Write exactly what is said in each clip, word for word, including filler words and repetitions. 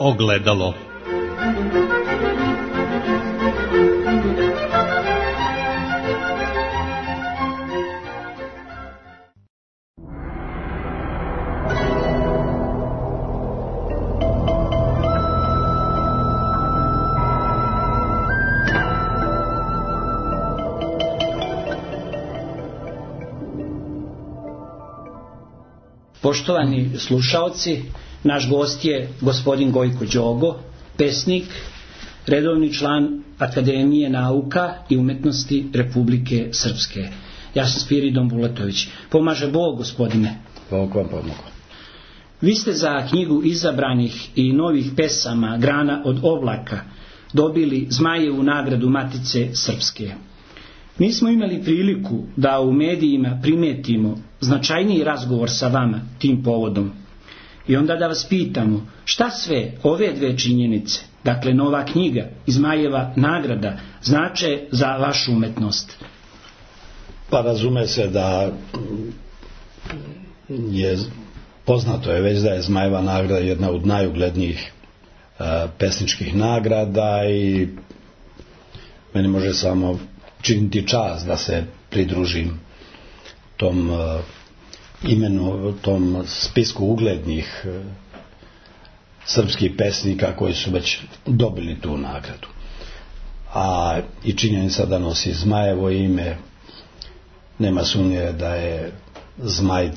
Ogledalo. Poštovani slušaoci, naš gost je gospodin Gojko Đogo, pesnik, redovni član Akademije nauka i umetnosti Republike Srpske. Ja sam Spiridon Bulatović. Pomaže Bog, gospodine. Bog vam pomogu. Vi ste za knjigu izabranih i novih pesama Grana od oblaka dobili Zmajevu nagradu Matice Srpske. Mi smo imali priliku da u medijima primetimo značajniji razgovor sa vama tim povodom. I onda da vas pitamo, šta sve ove dve činjenice, dakle nova knjiga i Zmajeva nagrada, znače za vašu umetnost? Pa razume se da je poznato je već da je Zmajeva nagrada jedna od najuglednijih uh, pesničkih nagrada i meni može samo činiti čast da se pridružim tom uh, imenu, tom spisku uglednih uh, srpskih pesnika koji su već dobili tu nagradu. A i činjenica da nosi Zmajevo ime, nema sumnje da je Zmaj uh,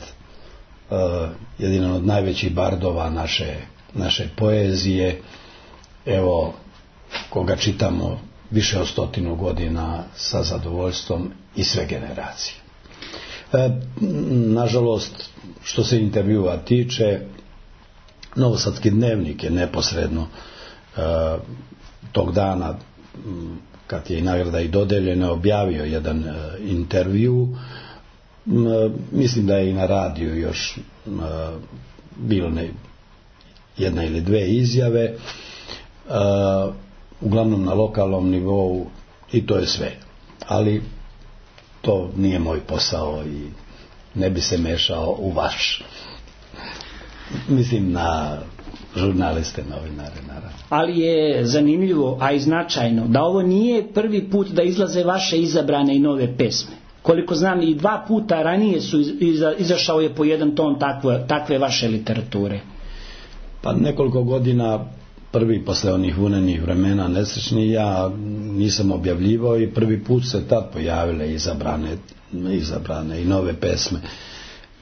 jedan od najvećih bardova naše, naše poezije. Evo, koga čitamo više od stotinu godina sa zadovoljstvom i sve generacije. E, nažalost, što se intervjua tiče, Novosadski dnevnik je neposredno e, tog dana, kad je i nagrada i dodeljena, objavio jedan e, intervju. E, mislim da je i na radiju još e, bilo ne, jedna ili dve izjave. E, uglavnom na lokalnom nivou, i to je sve. Ali to nije moj posao i ne bi se mešao u vaš. Mislim na žurnaliste, novinare, naravno. Ali je zanimljivo, a i značajno, da ovo nije prvi put da izlaze vaše izabrane i nove pesme. Koliko znam, i dva puta ranije su iza, izašao je po jedan ton takve, takve vaše literature. Pa nekoliko godina prvi posle onih vunenih vremena nesrećni, ja nisam objavljivao i prvi put se tad pojavile izabrane, izabrane i nove pesme.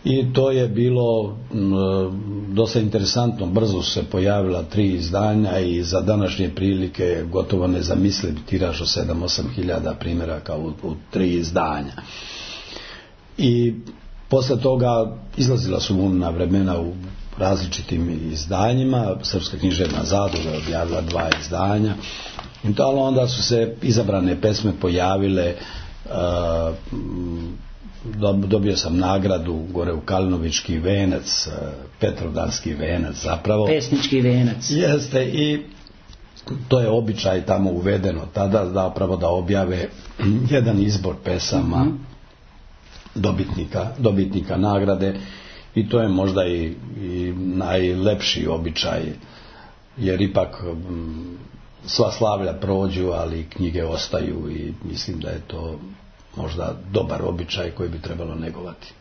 I to je bilo m, dosta interesantno. Brzo su se pojavila tri izdanja i za današnje prilike gotovo nezamisliv tiraž od sedam osam hiljada primjeraka u, u tri izdanja. I posle toga izlazila su vunena vremena u različitim izdanjima. Srpska književna zadruga je objavila dva izdanja. I to, ali onda su se izabrane pesme pojavile. Uh, dobio sam nagradu gore u Kalinovički venac, Petrovdanski venac zapravo. Pesnički venac. Jeste, i to je običaj tamo uvedeno tada zapravo da objave jedan izbor pesama mm-hmm. dobitnika, dobitnika nagrade. I to je možda i, i najlepši običaj, jer ipak m, sva slavlja prođu, ali knjige ostaju i mislim da je to možda dobar običaj koji bi trebalo negovati.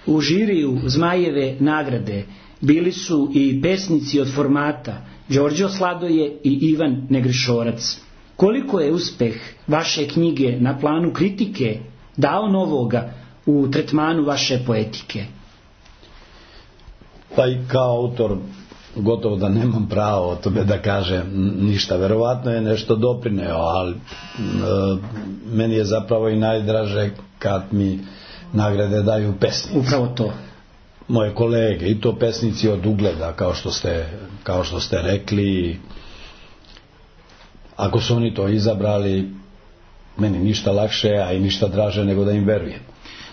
U žiriju Zmajeve nagrade bili su i pesnici od formata Đorđo Sladoje i Ivan Negrišorac. Koliko je uspeh vaše knjige na planu kritike dao novoga u tretmanu vaše poetike? Pa i kao autor gotovo da nemam pravo o tome da kažem ništa. Verovatno je nešto doprineo, ali e, meni je zapravo i najdraže kad mi nagrade daju pesnici. Upravo to. Moje kolege, i to pesnici od ugleda, kao što ste, kao što ste rekli. Ako su oni to izabrali, meni ništa lakše, a i ništa draže nego da im verujem.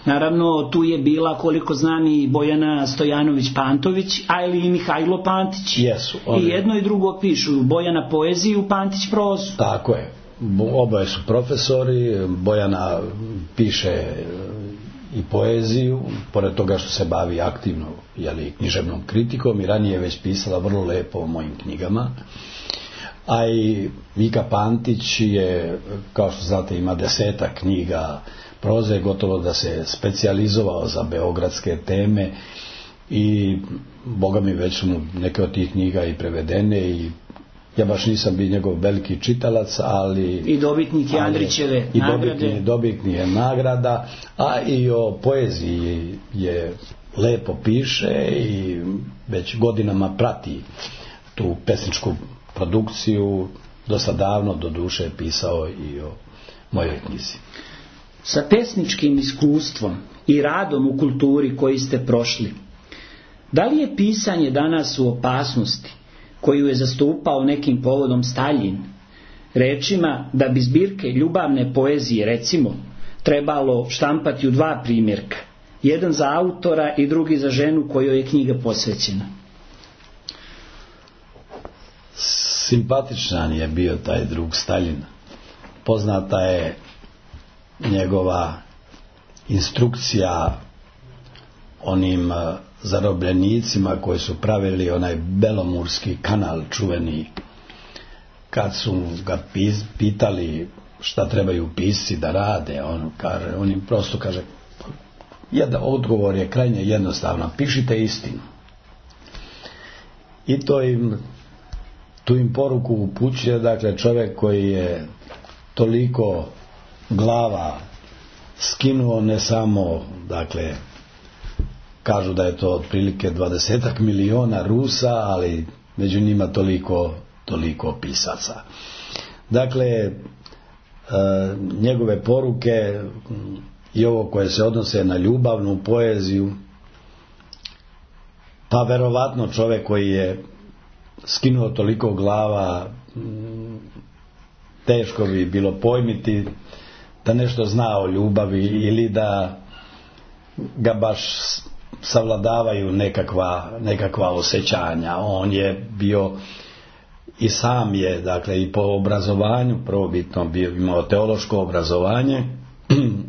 Naravno, tu je bila, koliko znam, i Bojana Stojanović-Pantović, ali i Mihajlo Pantić. Jesu. Oni... I jedno i drugo pišu. Bojana poeziju, Pantić prozu. Tako je. Oboje su profesori. Bojana piše i poeziju, pored toga što se bavi aktivno, jeli, književnom kritikom, i ranije je već pisala vrlo lepo o mojim knjigama. A i Vika Pantić je, kao što znate, ima desetak knjiga proze, gotovo da se specijalizovao za beogradske teme, i boga mi već su mu neke od tih knjiga i prevedene, i ja baš nisam bio njegov veliki čitalac, ali i dobitnik je Andrićeve i nagrade. Dobitnik, dobitnik je nagrada, a i o poeziji je lepo piše i već godinama prati tu pesničku produkciju. Dosta davno, do duše, je pisao i o mojoj knjizi. Sa pesničkim iskustvom i radom u kulturi koji ste prošli, da li je pisanje danas u opasnosti koju je zastupao nekim povodom Staljin, rečima da bi zbirke ljubavne poezije, recimo, trebalo štampati u dva primjerka, jedan za autora i drugi za ženu kojoj je knjiga posvećena? Simpatičan je bio taj drug Staljin. Poznata je njegova instrukcija onim zarobljenicima koji su pravili onaj Belomurski kanal čuveni, kad su ga pitali šta trebaju pisci da rade, on, kaže, on im prosto kaže, jedan odgovor je krajnje jednostavno, pišite istinu. I to im, tu im poruku upućuje, dakle, čovjek koji je toliko glava skinuo, ne samo, dakle, kažu da je to otprilike dvadesetak miliona Rusa, ali među njima toliko, toliko pisaca. Dakle, e, njegove poruke i ovo koje se odnose na ljubavnu poeziju, pa verovatno čovjek koji je skinuo toliko glava, teško bi bilo pojmiti da nešto zna o ljubavi ili da ga baš savladavaju nekakva, nekakva osjećanja. On je bio i sam je, dakle, i po obrazovanju prvobitno bio, imao teološko obrazovanje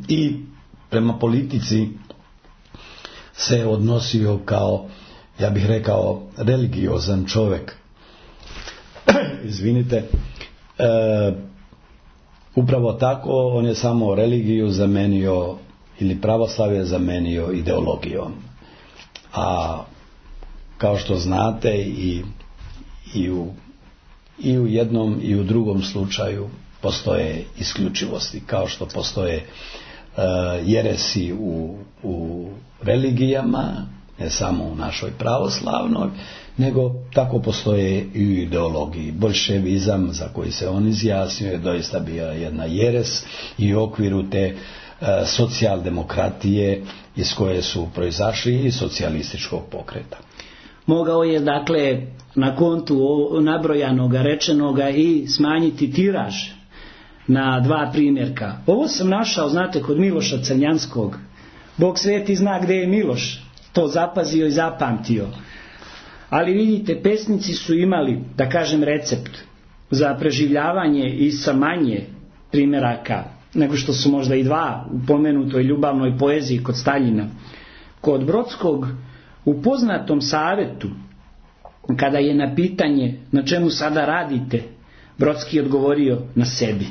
i prema politici se odnosio kao, ja bih rekao, religiozan čovjek. Izvinite. E, upravo tako, on je samo religiju zamenio, ili pravoslavlje zamenio ideologijom. A kao što znate, i, i, u, i u jednom i u drugom slučaju postoje isključivosti, kao što postoje uh, jeresi u, u religijama, ne samo u našoj pravoslavnoj, nego tako postoje i u ideologiji. Boljševizam, za koji se on izjasnio, je doista bila jedna jeres i u okviru te uh, socijaldemokratije iz koje su proizašli i socijalističkog pokreta. Mogao je, dakle, na kontu nabrojanoga, rečenoga i smanjiti tiraž na dva primjerka. Ovo sam našao, znate, kod Miloša Crnjanskog. Bog sveti zna gdje je Miloš to zapazio i zapamtio. Ali vidite, pesnici su imali, da kažem, recept za preživljavanje i sa manje primjeraka nego što su možda i dva u pomenutoj ljubavnoj poeziji kod Staljina. Kod Brodskog, u poznatom savjetu, kada je na pitanje na čemu sada radite, Brodski je odgovorio na sebi.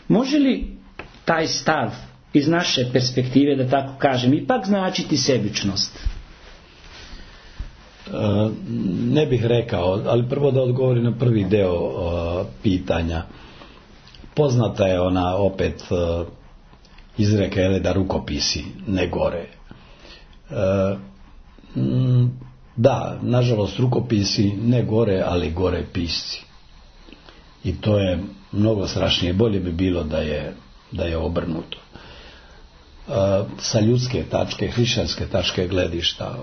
Može li taj stav iz naše perspektive, da tako kažem, ipak značiti sebičnost? E, ne bih rekao, ali prvo da odgovorim na prvi deo o, pitanja. Poznata je ona opet e, izreka, je da rukopisi ne gore. E, m, da, nažalost, rukopisi ne gore, ali gore pisci. I to je mnogo strašnije. Bolje bi bilo da je, da je obrnuto. E, sa ljudske tačke, hrišćanske tačke gledišta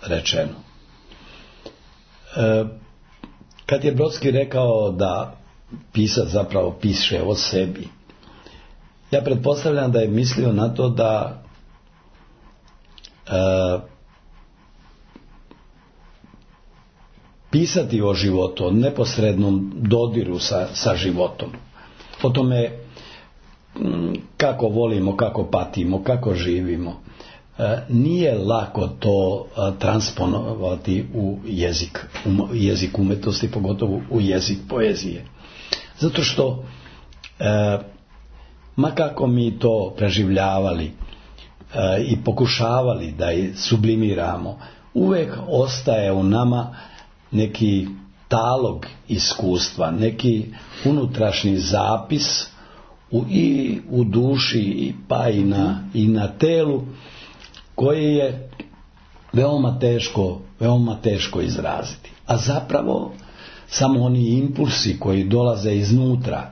rečeno. E, kad je Brodski rekao da pisac zapravo piše o sebi, ja pretpostavljam da je mislio na to da e, pisati o životu, o neposrednom dodiru sa, sa životom. O tome kako volimo, kako patimo, kako živimo. Nije lako to transponovati u jezik, u jezik umetnosti, pogotovo u jezik poezije. Zato što ma kako mi to preživljavali i pokušavali da je sublimiramo, uvek ostaje u nama neki talog iskustva, neki unutrašnji zapis u, i u duši pa i na, i na telu, koji je veoma teško, veoma teško izraziti. A zapravo samo oni impulsi koji dolaze iznutra,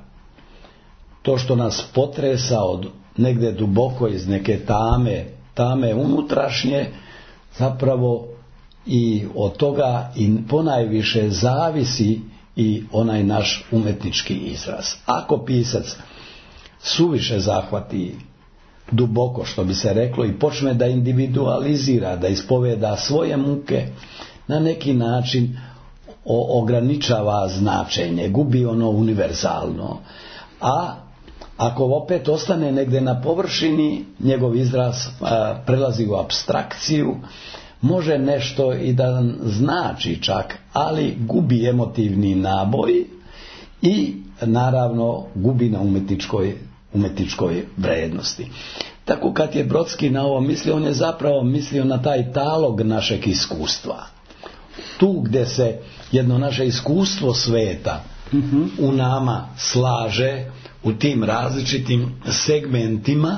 to što nas potresa od negde duboko iz neke tame, tame unutrašnje, zapravo i od toga i ponajviše zavisi i onaj naš umetnički izraz. Ako pisac suviše zahvati duboko, što bi se reklo, i počne da individualizira, da ispoveda svoje muke, na neki način ograničava značenje, gubi ono univerzalno. A ako opet ostane negde na površini, njegov izraz a, prelazi u apstrakciju, može nešto i da znači čak, ali gubi emotivni naboj i naravno gubi na umetničkoj, umetničkoj vrednosti. Tako kad je Brodski na ovo mislio, on je zapravo mislio na taj talog našeg iskustva. Tu gdje se jedno naše iskustvo sveta mm-hmm. u nama slaže, u tim različitim segmentima,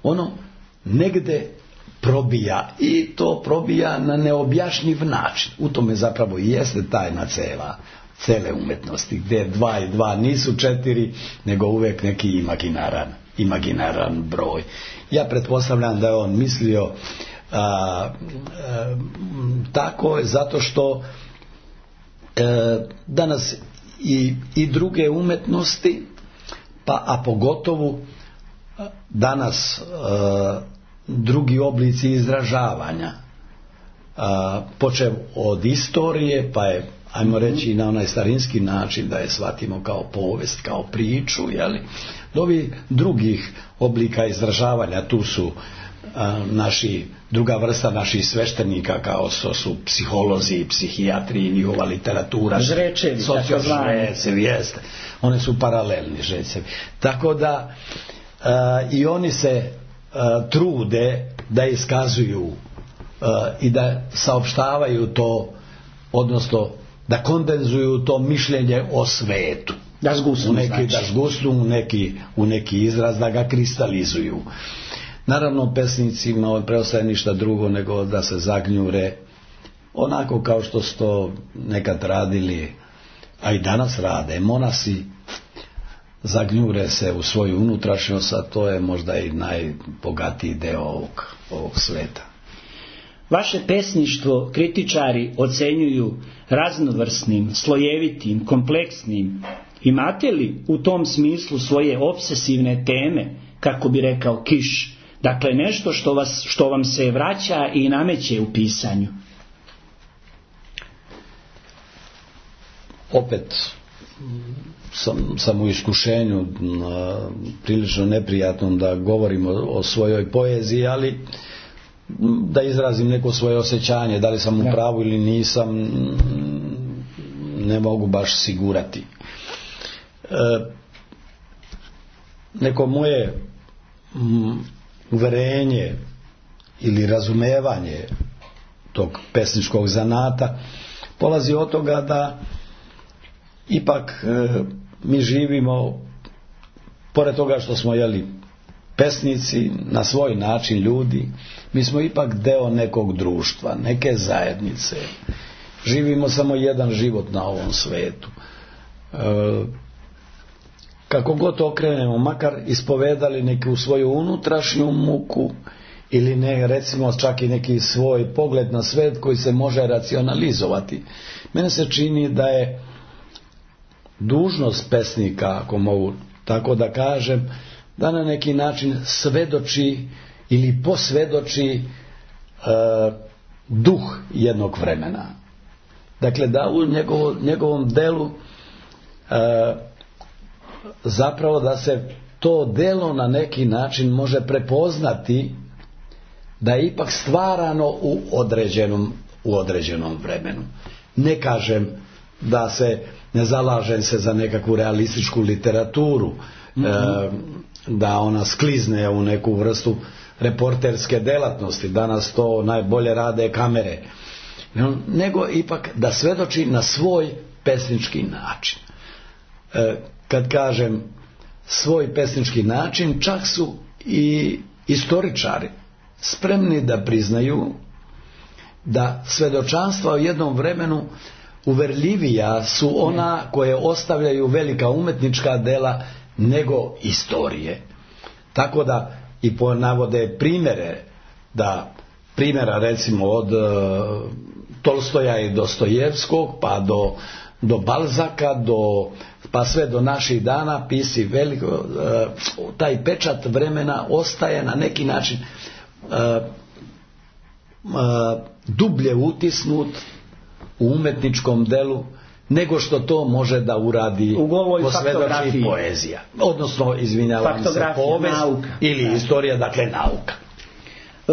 ono negde probija, i to probija na neobjašnjiv način. U tome zapravo i jeste tajna cela, cele umetnosti, gdje dva i dva nisu četiri, nego uvek neki imaginaran, imaginaran broj. Ja pretpostavljam da je on mislio a, a, tako, zato što a, danas i, i druge umetnosti, pa a pogotovo danas a, drugi oblici izražavanja, a, počev od istorije, pa je, ajmo reći, na onaj starinski način da je shvatimo kao povest, kao priču, jeli, do ovih drugih oblika izražavanja. Tu su a, naši, druga vrsta naših sveštenika, kao što su psiholozi, psihijatri, njihova literatura, žrečevi, sociožrecevi, jeste. One su paralelni žrecevi. Tako da a, i oni se a, trude da iskazuju a, i da saopštavaju to, odnosno da kondenzuju to mišljenje o svetu. Da zgusnu, u neki, znači. Da zgusnu u neki, u neki izraz, da ga kristalizuju. Naravno, pesnicima preostaje ništa drugo nego da se zagnjure, onako kao što su to nekad radili, a i danas rade monasi, zagnjure se u svoju unutrašnjost, a to je možda i najbogatiji deo ovog, ovog sveta. Vaše pesništvo kritičari ocenjuju raznovrsnim, slojevitim, kompleksnim. Imate li u tom smislu svoje obsesivne teme, kako bi rekao Kiš? Dakle, nešto što, vas, što vam se vraća i nameće u pisanju. Opet sam, sam u iskušenju a, prilično neprijatnom da govorim o, o svojoj poeziji, ali da izrazim neko svoje osjećanje, da li sam u pravu ili nisam, ne mogu baš sigurati. E, neko moje m, uverenje ili razumevanje tog pesničkog zanata polazi od toga da ipak e, mi živimo, pored toga što smo, jeli, pesnici, na svoj način ljudi, mi smo ipak deo nekog društva, neke zajednice. Živimo samo jedan život na ovom svetu. E, kako god okrenemo, makar ispovedali neku svoju unutrašnju muku ili ne, recimo čak i neki svoj pogled na svet koji se može racionalizovati. Mene se čini da je dužnost pesnika, ako mogu tako da kažem, da na neki način svedoči ili posvedoči e, duh jednog vremena. Dakle, da u njegovo, njegovom delu e, zapravo da se to delo na neki način može prepoznati da je ipak stvarano u određenom, u određenom vremenu. Ne kažem da se, ne zalažem se za nekakvu realističku literaturu, mm-hmm. e, da ona sklizne u neku vrstu reporterske delatnosti, danas to najbolje rade kamere, nego ipak da svedoči na svoj pesnički način. E, kad kažem svoj pesnički način, čak su i istoričari spremni da priznaju da svedočanstva u jednom vremenu uverljivija su ona koje ostavljaju velika umetnička dela nego istorije. Tako da i navode primjere, da primjera recimo od uh, Tolstoja i Dostojevskog pa do, do Balzaka, do, pa sve do naših dana pisi veliko, uh, taj pečat vremena ostaje na neki način uh, uh, dublje utisnut u umetničkom delu nego što to može da uradi posvjedoči poezija. Odnosno, izvinjavam se, povest ili da. Istorija, dakle nauka.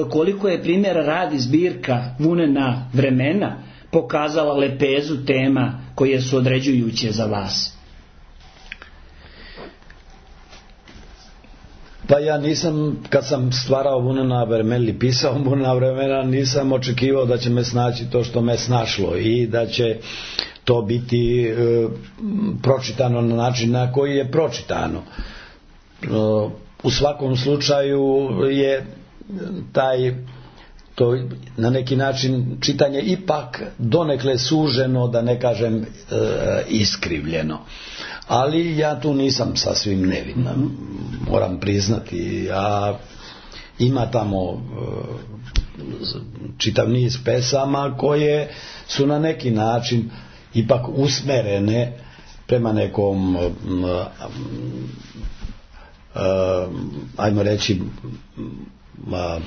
Koliko je primjera radi zbirka Vunena vremena pokazala lepezu tema koje su određujuće za vas? Pa ja nisam, kad sam stvarao Vunena vremena ili pisao Vunena vremena, nisam očekivao da će me snaći to što me snašlo i da će to biti e, pročitano na način na koji je pročitano. E, u svakom slučaju je taj to na neki način čitanje ipak donekle suženo, da ne kažem e, iskrivljeno. Ali ja tu nisam sasvim nevina, moram priznati. A ima tamo e, čitav niz pesama koje su na neki način ipak usmerene prema nekom uh, uh, ajmo reći uh,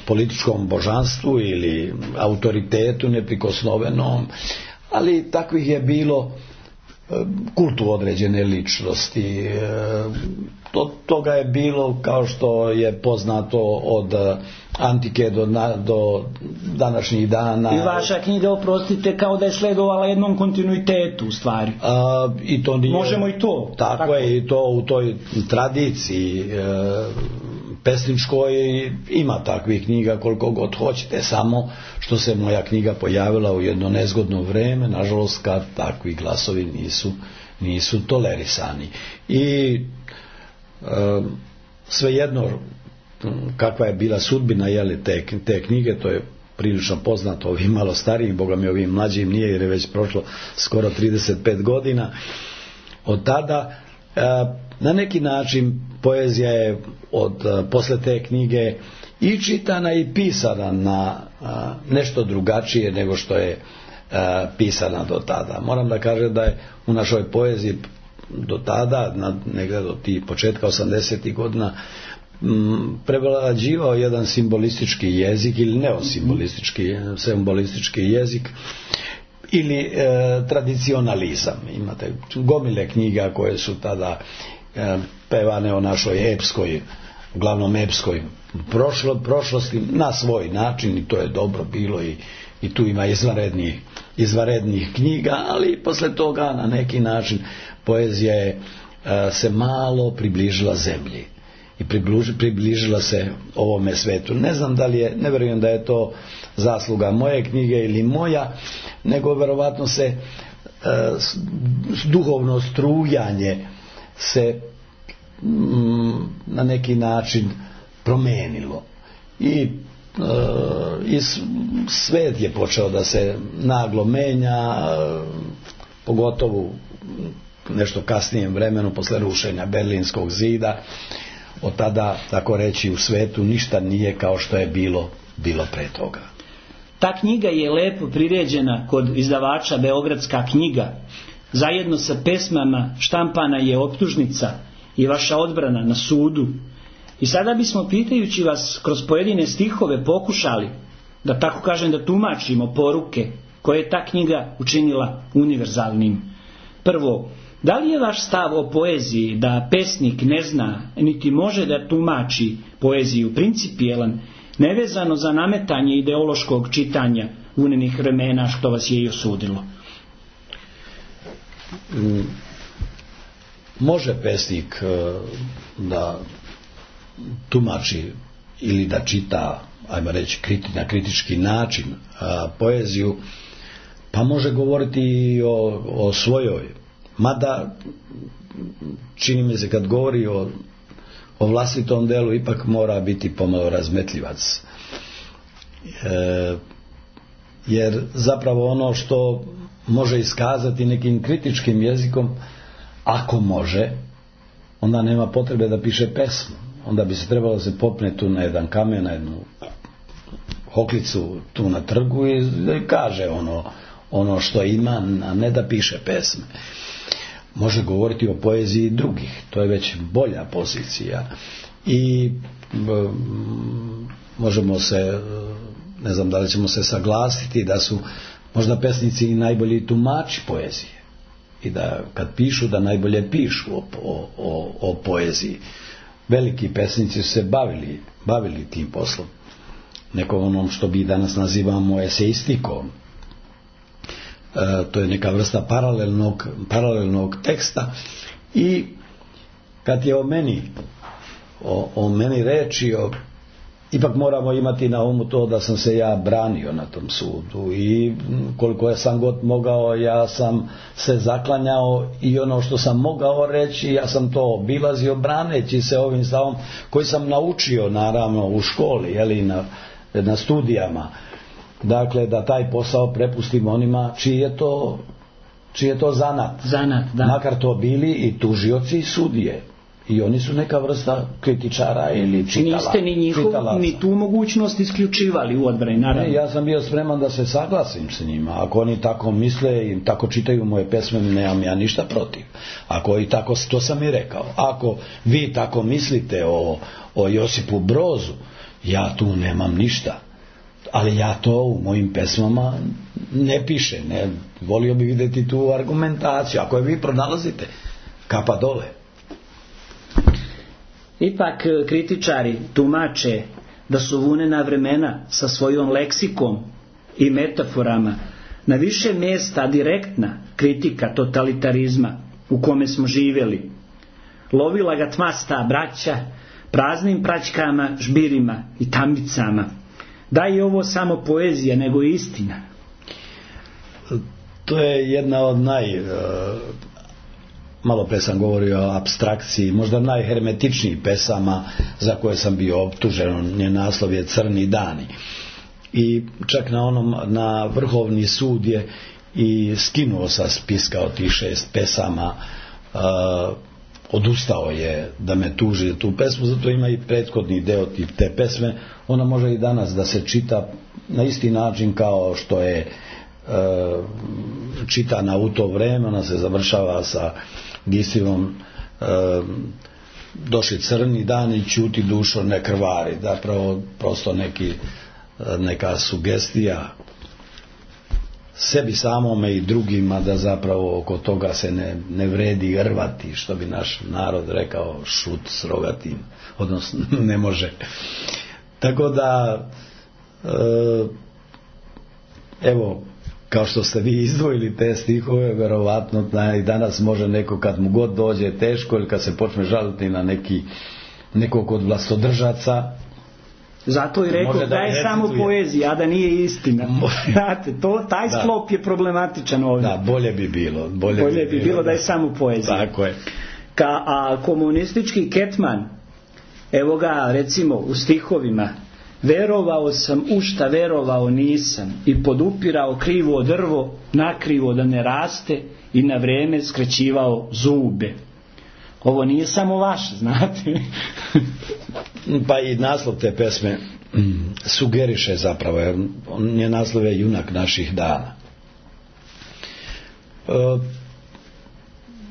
političkom božanstvu ili autoritetu neprikosnovenom, ali takvih je bilo uh, kultu određene ličnosti. Uh, to, toga je bilo, kao što je poznato, od uh, antike do, na, do današnjih dana. I vaša knjiga, oprostite, kao da je sledovala jednom kontinuitetu u stvari. A, i to nije, možemo i to. Tako, tako je, i to u toj tradiciji e, pesničkoj ima takvih knjiga koliko god hoćete, samo što se moja knjiga pojavila u jedno nezgodno vreme, nažalost, kad takvi glasovi nisu, nisu tolerisani. I e, svejedno kakva je bila sudbina jeli, te, te knjige, to je prilično poznato ovim malo starijim, boga mi ovim mlađim nije, jer je već prošlo skoro trideset pet godina od tada. E, na neki način poezija je od e, posle te knjige i čitana i pisana na a, nešto drugačije nego što je a, pisana do tada. Moram da kažem da je u našoj poeziji do tada, na, negdje do tih početka osamdesetih godina, prevlađivao jedan simbolistički jezik ili neosimbolistički, simbolistički jezik ili e, tradicionalizam. Imate gomile knjiga koje su tada e, pevane o našoj epskoj, uglavnom epskoj prošlo, prošlosti na svoj način, i to je dobro bilo, i, i tu ima izvanrednih, izvanrednih knjiga, ali posle toga na neki način poezija je e, se malo približila zemlji i približila se ovome svetu. Ne znam da li je, ne vjerujem da je to zasluga moje knjige ili moja, nego verovatno se e, duhovno strujanje se mm, na neki način promenilo i, e, i svet je počeo da se naglo menja, e, pogotovo nešto kasnijem vremenu posle rušenja Berlinskog zida. Od tada, tako reći, u svetu ništa nije kao što je bilo, bilo pre toga. Ta knjiga je lepo priređena kod izdavača Beogradska knjiga. Zajedno sa pesmama štampana je optužnica i vaša odbrana na sudu. I sada bismo, pitajući vas kroz pojedine stihove, pokušali, da tako kažem, da tumačimo poruke koje je ta knjiga učinila univerzalnim. Prvo, Da li je vaš stav o poeziji da pesnik ne zna niti može da tumači poeziju principijelan, nevezano za nametanje ideološkog čitanja unenih vremena što vas je i osudilo? Može pesnik da tumači ili da čita, ajmo reći, na kritički način poeziju, pa može govoriti i o, o svojoj. Mada, čini mi se kad govori o, o vlastitom delu, ipak mora biti pomalo razmetljivac. E, jer zapravo ono što može iskazati nekim kritičkim jezikom, ako može, onda nema potrebe da piše pesmu. Onda bi se trebalo da se popne tu na jedan kamen, na jednu hoklicu tu na trgu i da kaže ono, ono što ima, a ne da piše pesme. Može govoriti o poeziji drugih, to je već bolja pozicija. I m, možemo se, ne znam da li ćemo se saglasiti da su možda pesnici i najbolji tumači poezije i da kad pišu da najbolje pišu o, o, o, o poeziji. Veliki pesnici su se bavili, bavili tim poslom, neko onom što bi danas nazivamo eseistikom. E, to je neka vrsta paralelnog, paralelnog teksta. I kad je o meni o, o meni reči, o, ipak moramo imati na umu to da sam se ja branio na tom sudu i koliko ja sam god mogao, ja sam se zaklanjao i ono što sam mogao reći, ja sam to obilazio braneći se ovim stavom koji sam naučio naravno u školi, jeli, na, na studijama. Dakle, da taj posao prepustim onima čiji je to, čiji je to zanat. Zanat, da. Makar to bili i tužioci i sudije. I oni su neka vrsta kritičara ili čitala. Niste ni njihov, ni tu mogućnost isključivali u odbrani, naravno. Ne, ja sam bio spreman da se saglasim s njima. Ako oni tako misle i tako čitaju moje pesme, nemam ja ništa protiv. Ako i tako, to sam i rekao. Ako vi tako mislite o, o Josipu Brozu, ja tu nemam ništa. Ali ja to u mojim pesmama ne pišem. Ne, volio bih vidjeti tu argumentaciju. Ako je vi pronalazite, kapa dole. Ipak kritičari tumače da su vunena vremena sa svojom leksikom i metaforama na više mjesta direktna kritika totalitarizma u kome smo živjeli. Lovila ga tmasta braća praznim praćkama, žbirima i tambicama. Da je ovo samo poezija, nego istina. To je jedna od naj... Malo pre sam govorio o apstrakciji, možda najhermetičnijih pesama za koje sam bio optužen. Njen naslov je Crni dani. I čak na onom, na Vrhovni sud je i skinuo sa spiska od tih šest pesama, uh, odustao je da me tuži tu pesmu, zato ima i prethodni deo te pesme. Ona može i danas da se čita na isti način kao što je uh, čitana u to vreme. Ona se završava sa Gisivom e, došli crni dani, ćuti dušo, ne krvari. Zapravo prosto neki, neka sugestija sebi samome i drugima da zapravo oko toga se ne, ne vredi rvati, što bi naš narod rekao, šut s rogatim, odnosno ne može. Tako da e, evo, kao što ste vi izdvojili te stihove, verovatno i danas može neko kad mu god dođe teško ili kad se počne žaliti na neki, nekog od vlastodržaca. Zato i rekao da, da je samo poezija, a da nije istina. Znate, to, taj da. Sklop je problematičan ovdje. Da, bolje bi bilo. Bolje, bolje bi, bi bilo da je samo poezija. Tako je. Ka, a komunistički Ketman, evo ga recimo u stihovima: verovao sam u šta verovao nisam i podupirao krivo drvo nakrivo da ne raste i na vrijeme skraćivao zube. Ovo nije samo vaše, znate. Pa i naslov te pesme sugeriše zapravo, jer nje naslov je Junak naših dana. E,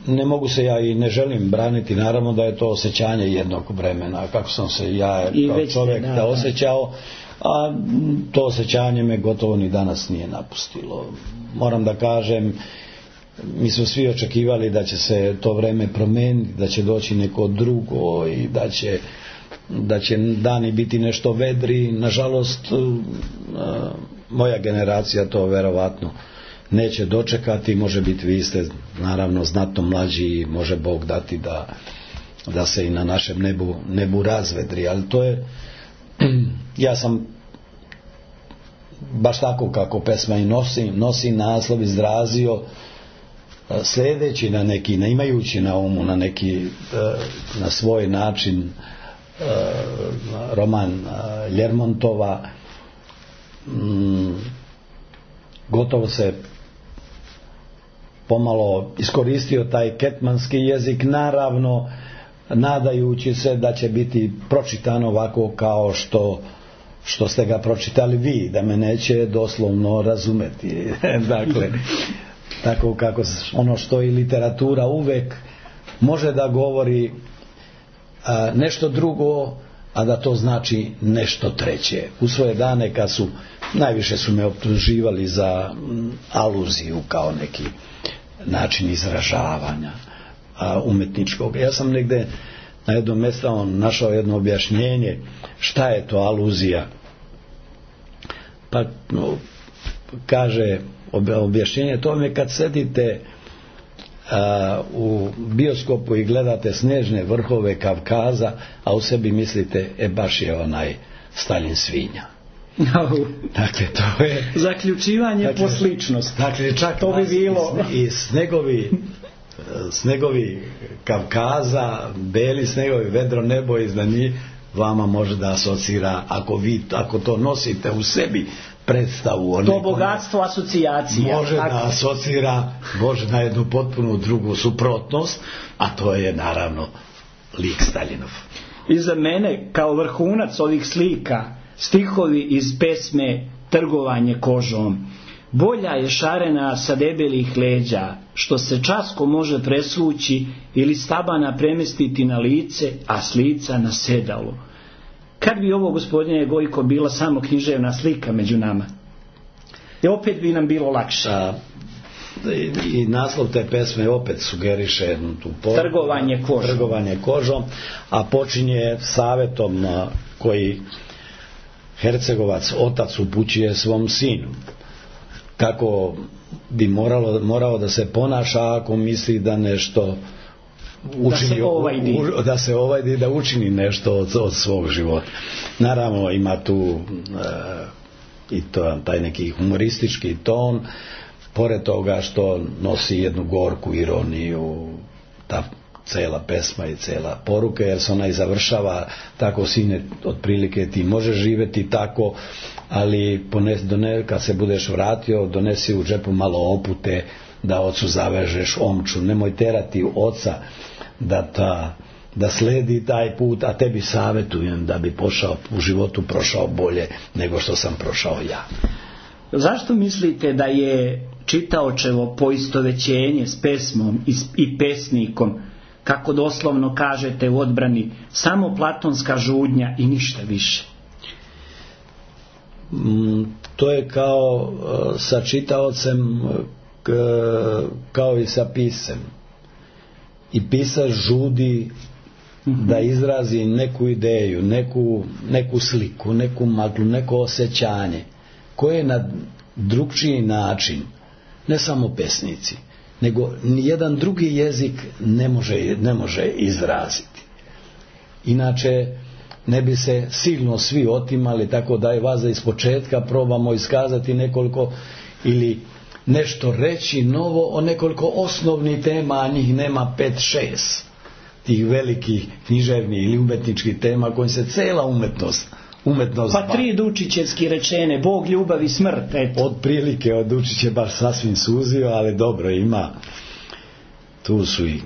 ne mogu se ja i ne želim braniti, naravno da je to osjećanje jednog vremena, kako sam se ja kao već, čovjek da, da osjećao, a to osjećanje me gotovo ni danas nije napustilo. Moram da kažem, mi smo svi očekivali da će se to vreme promijeniti, da će doći neko drugo i da će, da će dani biti nešto vedri. Nažalost, moja generacija to verovatno neće dočekati. Može biti, vi ste naravno znatno mlađi, može Bog dati da, da se i na našem nebu, nebu razvedri, ali to je, ja sam baš tako kako pesma i nosi, nosi naslov izrazio sljedeći na neki, ne imajući na umu na neki, na svoj način roman Ljermontova, gotovo se pomalo iskoristio taj ketmanski jezik, naravno nadajući se da će biti pročitano ovako kao što što ste ga pročitali vi, da me neće doslovno razumeti. Dakle, tako kako ono što i literatura uvek može da govori a, nešto drugo, a da to znači nešto treće. U svoje dane kad su, najviše su me optuživali za m, aluziju kao neki način izražavanja a, umetničkog. Ja sam negde na jednom mjestu našao jedno objašnjenje šta je to aluzija. Pa no, kaže objašnjenje, to je kad sedite a, u bioskopu i gledate snežne vrhove Kavkaza, a u sebi mislite, e baš je onaj Staljin svinja. No. Dakle, to je zaključivanje dakle, po sličnost. Dakle, čak to bi bilo i snegovi snegovi Kavkaza, beli snegovi, vedro nebo iznad njih, vama može da asocira, ako vi ako to nosite u sebi predstavu o to nekome, bogatstvo asocijacija može tako da asocira, može na jednu potpuno drugu suprotnost, a to je naravno lik Staljinov. I za mene kao vrhunac ovih slika stihovi iz pesme Trgovanje kožom. Bolja je šarena sa debelih leđa, što se časko može presvući ili stabana premestiti na lice, a s lica na sedalo. Kad bi ovo, gospodine Gojko, bila samo književna slika među nama? I opet bi nam bilo lakše. A, i, i naslov te pesme opet sugeriše tu poruku, trgovanje kožom. Trgovanje kožom, a počinje savjetom koji Hercegovac, otac, upućuje svom sinu. Kako bi moralo, morao da se ponaša ako misli da nešto učini, da se ovajdi, u, da, se ovajdi, da učini nešto od, od svog života. Naravno ima tu e, i to, taj neki humoristički ton, pored toga što nosi jednu gorku ironiju, ta cela pesma i cela poruka, jer se ona i završava tako, sine, otprilike ti možeš živjeti tako, ali pones, done, kad se budeš vratio, donesi u džepu malo opute da ocu zavežeš omču, nemoj terati oca da, ta, da sledi taj put, a tebi savjetujem da bi pošao, u životu prošao bolje nego što sam prošao ja. Zašto mislite da je čitaočevo poistovećenje s pesmom i pesnikom, kako doslovno kažete u odbrani, samo platonska žudnja i ništa više? To je kao sa čitaocem kao i sa pisem. I pisac žudi da izrazi neku ideju, neku, neku sliku, neku maglu, neko osjećanje koje na drugčiji način, ne samo pesnici, nego nijedan drugi jezik ne može, ne može izraziti. Inače ne bi se silno svi otimali, tako da je vas da ispočetka probamo iskazati nekoliko ili nešto reći novo o nekoliko osnovnih tema, a njih nema pet šest tih velikih književnih ili umetničkih tema kojim se cela umetnost umetnost pa tri Dučićevski rečene, Bog, ljubav i smrt, eto. Od prilike od Dučić je baš sasvim suzio, ali dobro, ima tu su i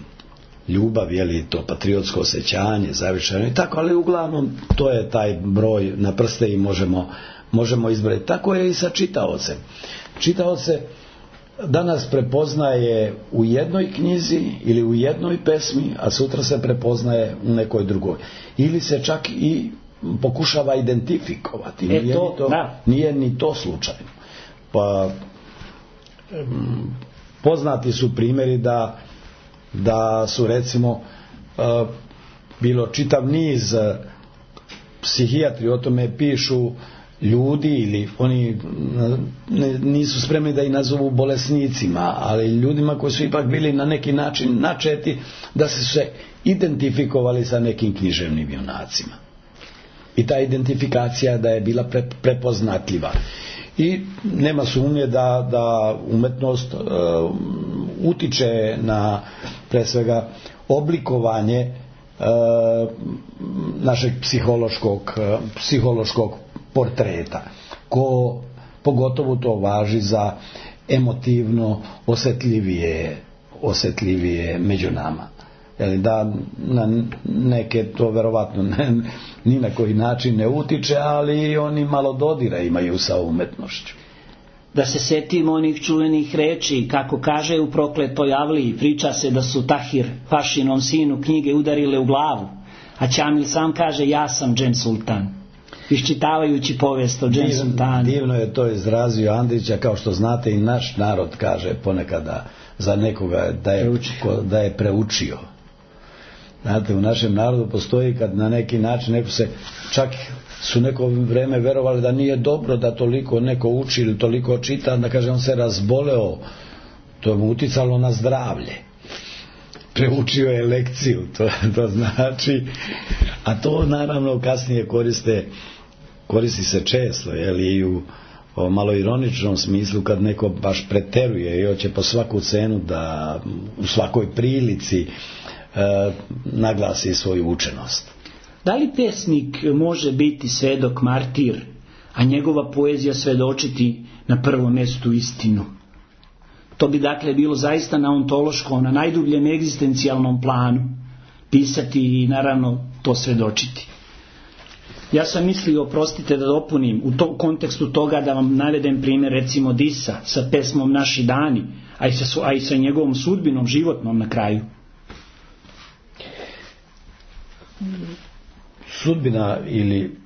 ljubav, je li to patriotsko osjećanje, zavičajno i tako, ali uglavnom to je taj broj na prste i možemo, možemo izbrojiti. Tako je i sa čitaocem. Čitaoce danas prepoznaje u jednoj knjizi ili u jednoj pesmi, a sutra se prepoznaje u nekoj drugoj. Ili se čak i pokušava identifikovati. Nije, to, ni, to, nije ni to slučajno. Pa poznati su primjeri da, da su recimo bilo čitav niz psihijatri o tome pišu, ljudi ili oni nisu spremni da ih nazovu bolesnicima, ali ljudima koji su ipak bili na neki način načeti da se se identifikovali sa nekim književnim junacima. I ta identifikacija da je bila pre, prepoznatljiva. I nema sumnje da, da umetnost uh, utiče na pre svega oblikovanje uh, našeg psihološkog, uh, psihološkog portreta, ko pogotovo to važi za emotivno osjetljivije, osjetljivije među nama. Jeli da na neke to verovatno ne, ni na koji način ne utiče, ali oni malo dodira imaju sa umetnošću. Da se setimo onih čuvenih reči, kako kaže u Prokletoj Avliji, priča se da su Tahir Pašinom sinu knjige udarile u glavu, a Ćamil sam kaže ja sam Džem Sultan, iščitavajući povijest o Džem Sultanu. Divno je to izrazio Andrića, kao što znate i naš narod kaže ponekada za nekoga da je, ko, da je preučio. Znate, u našem narodu postoji kad na neki način neko se, čak su neko vreme verovali da nije dobro da toliko neko uči ili toliko čita, da kaže on se razboleo, to je mu uticalo na zdravlje. Preučio je lekciju, to, to znači, a to naravno kasnije koriste, koristi se često, jeli, i u o malo ironičnom smislu kad neko baš preteruje i hoće po svaku cenu da u svakoj prilici e, naglasi svoju učenost. Da li pesnik može biti svedok martir, a njegova poezija svedočiti na prvom mjestu istinu? To bi dakle bilo zaista na ontološkom, na najdubljem egzistencijalnom planu pisati i naravno to svedočiti. Ja sam mislio, oprostite da dopunim, u tom kontekstu toga da vam navedem primjer recimo Disa sa pesmom Naši dani, a i sa, a i sa njegovom sudbinom životnom na kraju. Sudbina, ili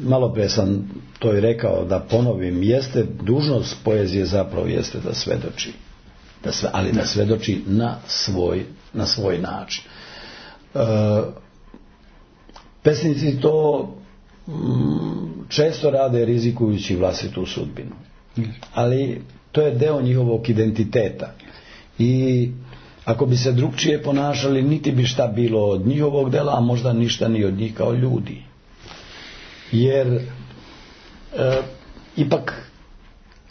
malo pre sam to i rekao da ponovim, jeste dužnost poezije zapravo jeste da svedoči, da sve, ali da svedoči na svoj, na svoj način. E, pesnici to mm, često rade rizikujući vlastitu sudbinu, ali to je deo njihovog identiteta i ako bi se drugčije ponašali, niti bi šta bilo od njihovog dela, a možda ništa ni od njih kao ljudi. Jer e, ipak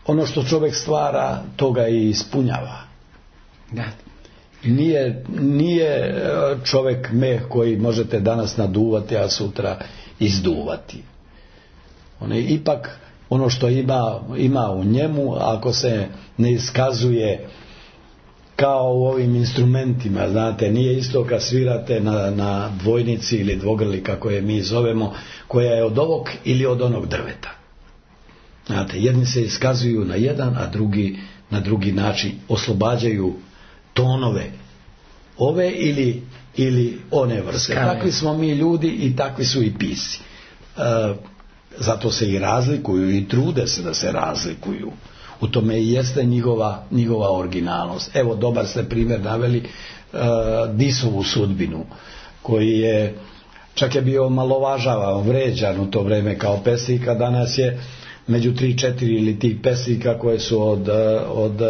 ono što čovjek stvara, toga i ispunjava. Da. Nije, nije čovjek meh koji možete danas naduvati, a sutra izduvati. On je ipak ono što ima, ima u njemu, ako se ne iskazuje kao u ovim instrumentima, znate, nije isto kad svirate na, na dvojnici ili dvogrli, kako je mi zovemo, koja je od ovog ili od onog drveta. Znate, jedni se iskazuju na jedan, a drugi na drugi način oslobađaju tonove ove ili, ili one vrste. Takvi smo mi ljudi i takvi su i pisci. E, zato se i razlikuju i trude se da se razlikuju. U tome i jeste njihova, njihova originalnost. Evo, dobar ste primjer naveli uh, Disovu sudbinu, koji je čak je bio malovažavan, vređan u to vrijeme kao pesnika. Danas je među tri, četiri ili tih pesnika koje su od, od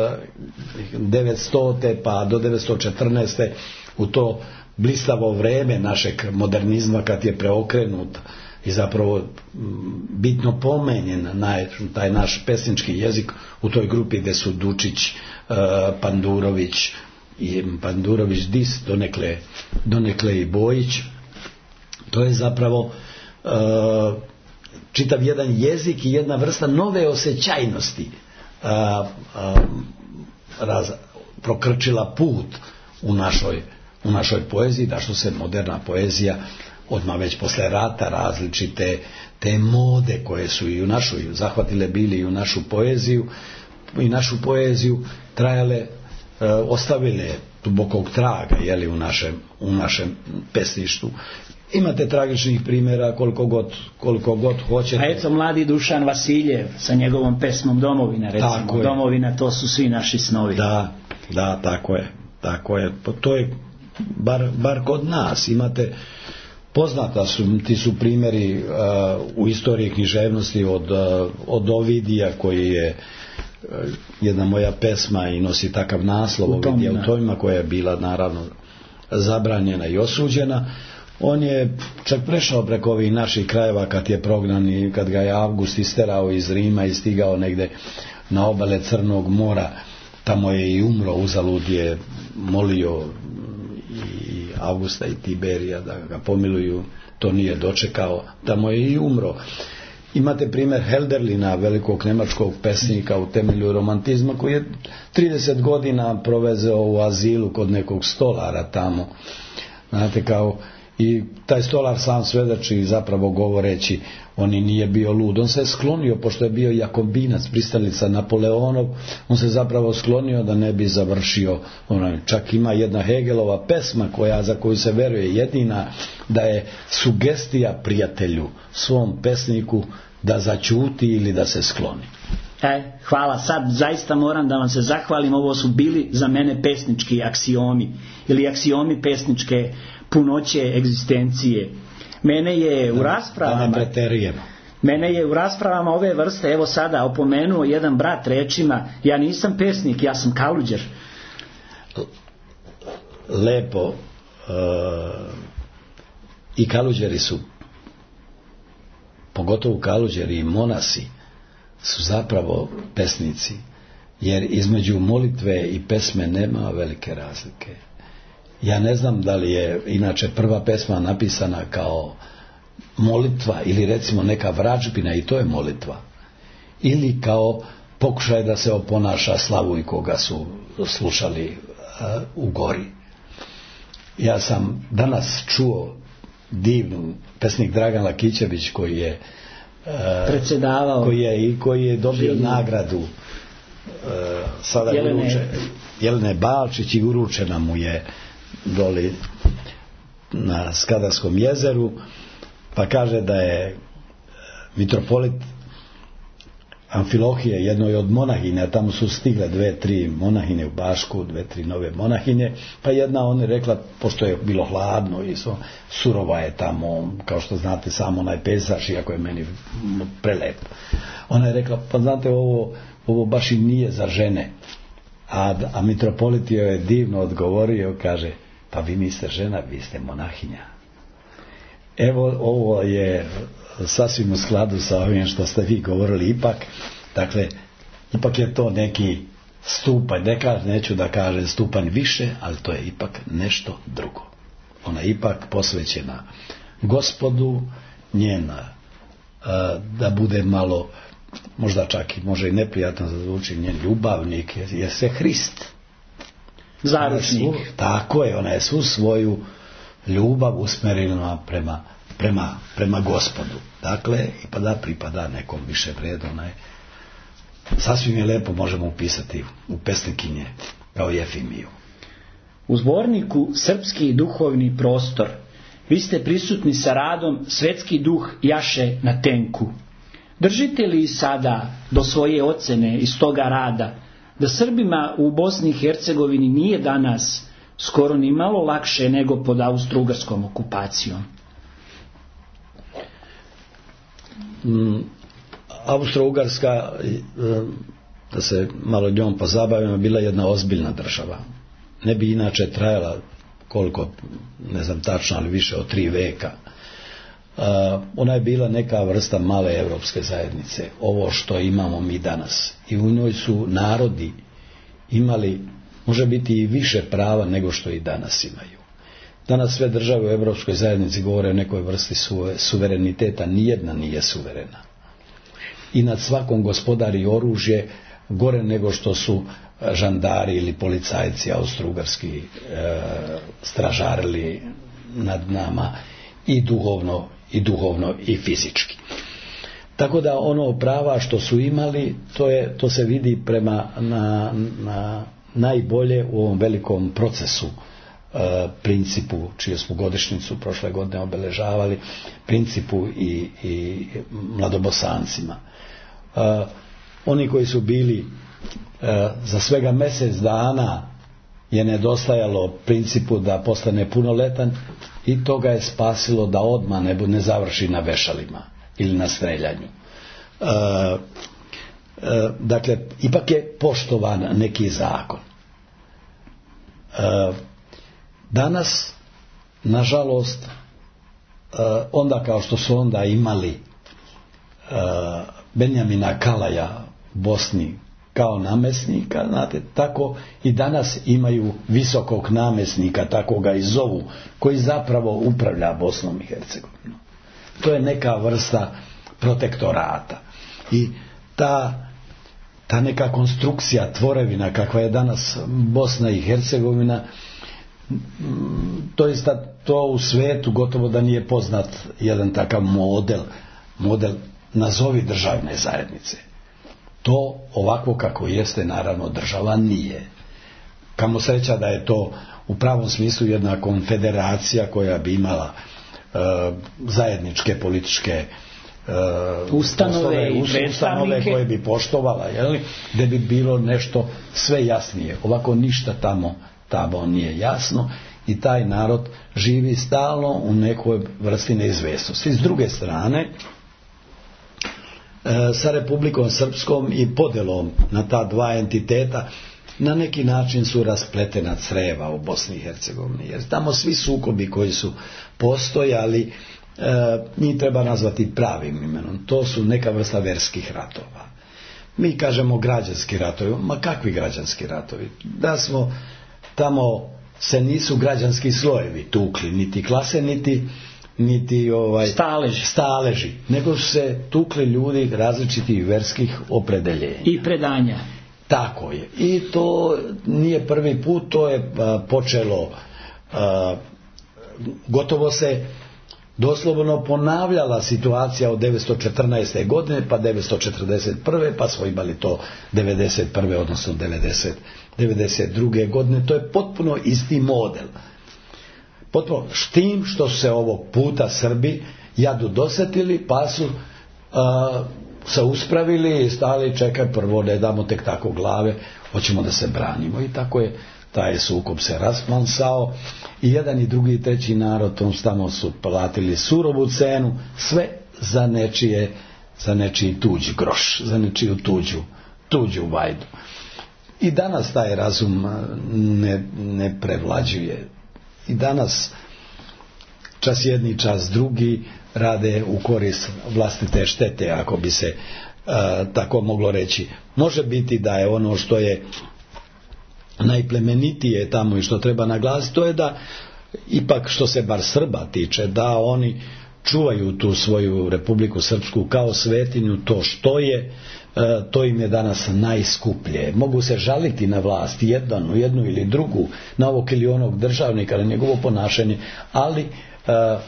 devetstote pa do devetsto četrnaeste u to blistavo vrijeme našeg modernizma, kad je preokrenut i zapravo bitno pomenjen na taj naš pesnički jezik u toj grupi gdje su Dučić, Pandurović i Pandurović Dis, donekle, donekle i Bojić. To je zapravo čitav jedan jezik i jedna vrsta nove osjećajnosti raz, prokrčila put u našoj, u našoj poeziji, da što se moderna poezija odmah već posle rata različite te mode koje su i u našoj zahvatile bili i u našu poeziju i našu poeziju trajale, e, ostavile dubokog traga, jeli, u našem, u našem pesništvu. Imate tragičnih primjera koliko god, koliko god hoćete. A eto mladi Dušan Vasiljev sa njegovom pesmom Domovina, recimo. Domovina, to su svi naši snovi. Da, da, tako je. Tako je. To je bar, bar kod nas. Imate, poznata su, ti su primjeri uh, u istoriji književnosti od, uh, od Ovidija koji je uh, jedna moja pesma i nosi takav naslov Ovidija u Tomima, koja je bila naravno zabranjena i osuđena. On je čak prešao preko ovih naših krajeva kad je prognan i kad ga je Avgust isterao iz Rima i stigao negde na obale Crnog mora. Tamo je i umro, uzalud je molio i Avgusta i Tiberija da ga pomiluju, to nije dočekao, tamo je i umro. Imate primjer Helderlina, velikog nemačkog pesnika u temelju romantizma, koji je trideset godina provezeo u azilu kod nekog stolara tamo. Znate, kao i taj stolar sam svedoči, zapravo govoreći, on i nije bio lud. On se je sklonio, pošto je bio jakobinac, pristalica Napoleonov, on se zapravo sklonio da ne bi završio. Ono, čak ima jedna Hegelova pesma koja, za koju se veruje jedina, da je sugestija prijatelju, svom pesniku, da zaćuti ili da se skloni. E, hvala, sad zaista moram da vam se zahvalim, ovo su bili za mene pesnički aksiomi, ili aksiomi pesničke punoće egzistencije. Mene je u raspravama Mene je u raspravama ove vrste, evo sada, opomenuo jedan brat rečima: ja nisam pesnik, ja sam kaluđer. Lepo. Uh, I kaluđeri su, pogotovo kaluđeri i monasi, su zapravo pesnici, jer između molitve i pesme nema velike razlike. Ja ne znam da li je inače prva pesma napisana kao molitva ili recimo neka vražbina, i to je molitva, ili kao pokušaj da se oponaša Slavuj koga su slušali uh, u gori. Ja sam danas čuo divnu pesnik Dragan Lakićević koji je uh, predsjedavao, koji je, i koji je dobio življu nagradu uh, sada Jelene. Uruče, Jelene Balčić, i uručena mu je doli na Skadarskom jezeru, pa kaže da je mitropolit Amfilohije, jednoj od monahinja, tamo su stigle dve, tri monahinje u Bašku, dve, tri nove monahinje, pa jedna on je rekla, pošto je bilo hladno i so, surova je tamo, kao što znate, samo onaj pejzaž, iako je meni prelep. Ona je rekla, pa znate, ovo, ovo baš i nije za žene. A, a mitropolit joj je divno odgovorio, kaže: pa vi niste žena, vi ste monahinja. Evo, ovo je sasvim u skladu sa ovim što ste vi govorili. Ipak, dakle, ipak je to neki stupanj, neka, neću da kažem stupanj više, ali to je ipak nešto drugo. Ona je ipak posvećena Gospodu, njena, da bude malo, možda čak i može i neprijatno da zvuči, njen ljubavnik je, je se Hrist. Zaručnik. Svu, tako je, ona je svu svoju ljubav usmerila prema, prema, prema Gospodu. Dakle, i pa da pripada nekom više vredu. Ona je, sasvim je lepo možemo upisati u pesnikinje kao Jefimiju. U zborniku Srpski duhovni prostor vi ste prisutni sa radom Svetski duh jaše na tenku. Držite li sada do svoje ocene iz toga rada da Srbima u Bosni i Hercegovini nije danas skoro ni malo lakše nego pod austro-ugarskom okupacijom? Mm, Austro-Ugarska, da se malo njom pozabavimo, bila jedna ozbiljna država. Ne bi inače trajala koliko, ne znam tačno, ali više od tri veka. Uh, ona je bila neka vrsta male evropske zajednice, ovo što imamo mi danas, i u njoj su narodi imali, može biti i više prava nego što i danas imaju. Danas sve države u evropskoj zajednici govore o nekoj vrsti suvereniteta, nijedna nije suverena, i nad svakom gospodari oružje gore nego što su žandari ili policajci austro-ugarski e, stražarili nad nama, i duhovno i duhovno i fizički. Tako da ono prava što su imali, to, je, to se vidi prema na, na najbolje u ovom velikom procesu uh, Principu, čiju smo godišnjicu prošle godine obeležavali, Principu i, i mladobosancima. Oni koji su bili za svega mjesec dana je nedostajalo Principu da postane punoletan i to ga je spasilo da odmah ne, ne završi na vešalima ili na streljanju. E, e, dakle, ipak je poštovan neki zakon. E, danas, nažalost, e, onda kao što su onda imali e, Benjamina Kalaja u Bosni kao namjesnika, znate, tako i danas imaju visokog namjesnika, tako ga i zovu, koji zapravo upravlja Bosnom i Hercegovinom. To je neka vrsta protektorata. I ta, ta neka konstrukcija, tvorevina kakva je danas Bosna i Hercegovina, to, jest to u svijetu gotovo da nije poznat jedan takav model, model nazovi državne zajednice. To ovako kako jeste naravno država nije. Kamo sreća da je to u pravom smislu jedna konfederacija koja bi imala e, zajedničke političke e, ustanove i ustanove koje bi poštovala, jeli, gdje bi bilo nešto sve jasnije. Ovako ništa tamo, tamo nije jasno i taj narod živi stalno u nekoj vrsti neizvjesnosti. S druge strane, sa Republikom Srpskom i podelom na ta dva entiteta na neki način su raspletena creva u Bosni i Hercegovini, jer tamo svi sukobi koji su postojali e, njih treba nazvati pravim imenom. To su neka vrsta verskih ratova. Mi kažemo građanski ratovi, ma kakvi građanski ratovi? Da smo tamo se nisu građanski slojevi tukli, niti klase, niti niti ovaj staleži. staleži, nego su se tukli ljudi različitih verskih opredeljenja i predanja. Tako je. I to nije prvi put, to je a, počelo a, gotovo se doslovno ponavljala situacija od devetsto četrnaeste. godine pa devetsto četrdeset prve. pa smo imali to devedeset prve. odnosno devedeset, devedeset druge. godine. To je potpuno isti model. Potpuno s tim što su se ovog puta Srbi jadu dosetili, pa su a, se uspravili i stali, čekaj, prvo ne damo tek tako glave, hoćemo da se branimo. I tako je taj sukob se rasplamsao i jedan i drugi i treći narod tom tamo su platili surovu cenu, sve za nečije, za nečiji tuđi groš, za nečiju tuđu, tuđu vajdu. I danas taj razum ne, ne prevlađuje. I danas čas jedni, čas drugi rade u korist vlastite štete, ako bi se uh, tako moglo reći. Može biti da je ono što je najplemenitije tamo i što treba naglasiti, to je da ipak što se bar Srba tiče, da oni čuvaju tu svoju Republiku Srpsku kao svetinju, to što je, to im je danas najskuplje. Mogu se žaliti na vlast, jednu, jednu ili drugu, na ovog ili onog državnika, na njegovo ponašanje, ali e,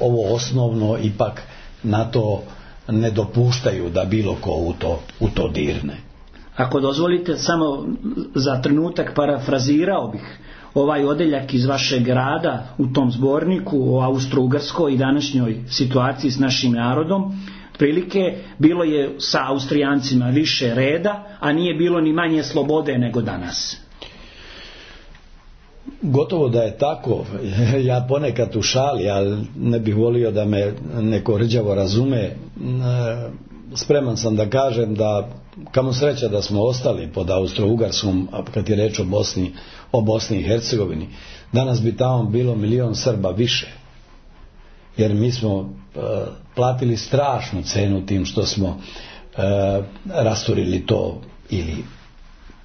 ovo osnovno ipak na to ne dopuštaju da bilo ko u to, u to dirne. Ako dozvolite, samo za trenutak parafrazirao bih ovaj odeljak iz vašeg rada u tom zborniku o Austro-Ugarskoj i današnjoj situaciji s našim narodom. Prilike bilo je sa Austrijancima više reda, a nije bilo ni manje slobode nego danas. Gotovo da je tako. Ja ponekad u šali, ali ne bih volio da me neko rđavo razume. Spreman sam da kažem da kamo sreća da smo ostali pod Austro-Ugarskom, kad je reč o Bosni, o Bosni i Hercegovini. Danas bi tamo bilo milion Srba više. Jer mi smo uh, platili strašnu cenu tim što smo uh, rasturili to, ili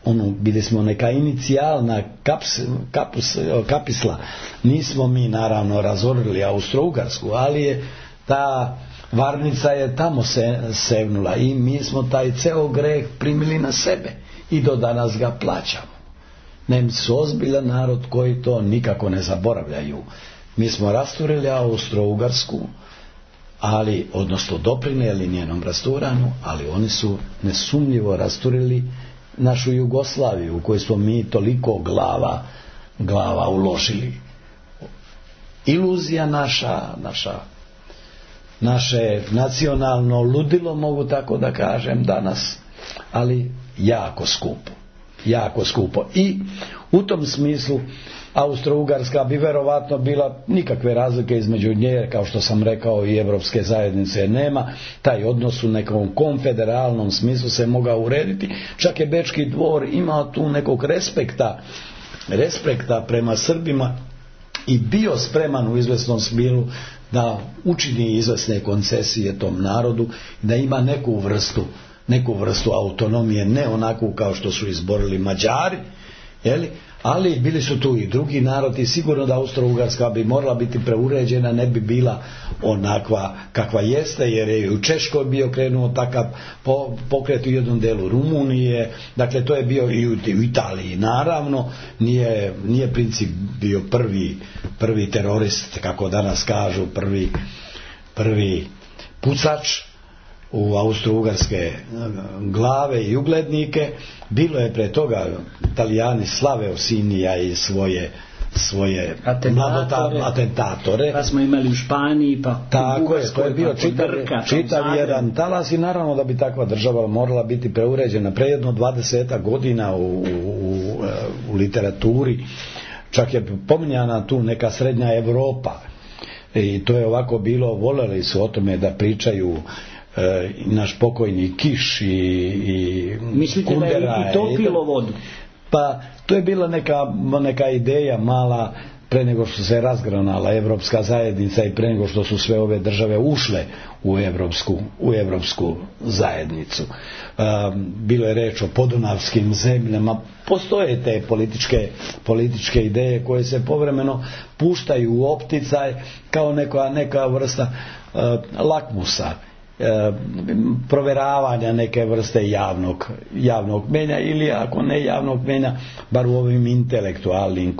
ono, bili smo neka inicijalna kaps, kapus, kapisla. Nismo mi naravno razorili Austro-Ugarsku, ali je ta varnica je tamo se sevnula i mi smo taj ceo greh primili na sebe i do danas ga plaćamo. Nemci su ozbiljan narod koji to nikako ne zaboravljaju. Mi smo rasturili Austro-Ugarsku, ali, odnosno doprinijeli njenom rasturanju, ali oni su nesumnjivo rasturili našu Jugoslaviju, u kojoj smo mi toliko glava, glava uložili. iluzija naša, naša, naše nacionalno ludilo, mogu tako da kažem danas, ali jako skupo, jako skupo. I u tom smislu Austro-Ugarska bi verovatno bila, nikakve razlike između nje, kao što sam rekao, i Evropske zajednice nema. Taj odnos u nekom konfederalnom smislu se mogao urediti. Čak je Bečki dvor imao tu nekog respekta, respekta prema Srbima i bio spreman u izvesnom smilu da učini izvesne koncesije tom narodu, da ima neku vrstu, neku vrstu autonomije, ne onakvu kao što su izborili Mađari, jeli? Ali bili su tu i drugi narodi. Sigurno da Austro-Ugarska bi morala biti preuređena, ne bi bila onakva kakva jeste, jer je u Češkoj bio krenuo takav pokret, u jednom delu Rumunije, dakle to je bio i u Italiji. Naravno nije, nije princip bio prvi, prvi terorist, kako danas kažu, prvi, prvi pucač u austro-ugarske glave i uglednike. Bilo je pre toga, Italijani slave Osinija i svoje svoje atentatore, atentatore. Pa smo imali u Španiji, pa tako je, to je bio čitav, čitav jedan talas i naravno da bi takva država morala biti preuređena. Pre jedno dvadesetak godina u, u, u literaturi čak je pominjana tu neka srednja Evropa i to je ovako bilo, voljeli su o tome da pričaju e, naš pokojni Kiš i, i mislite Kundera, da je i to pilo vodu? Pa to je bila neka, neka ideja mala pre nego što se razgranala Evropska zajednica i pre nego što su sve ove države ušle u Evropsku, u Evropsku zajednicu. Um, bilo je reč o podunavskim zemljama. Postoje te političke, političke ideje koje se povremeno puštaju u opticaj kao neka, neka vrsta uh, lakmusa, E, proveravanja neke vrste javnog, javnog menja ili ako ne javnog menja, bar u ovim intelektualnim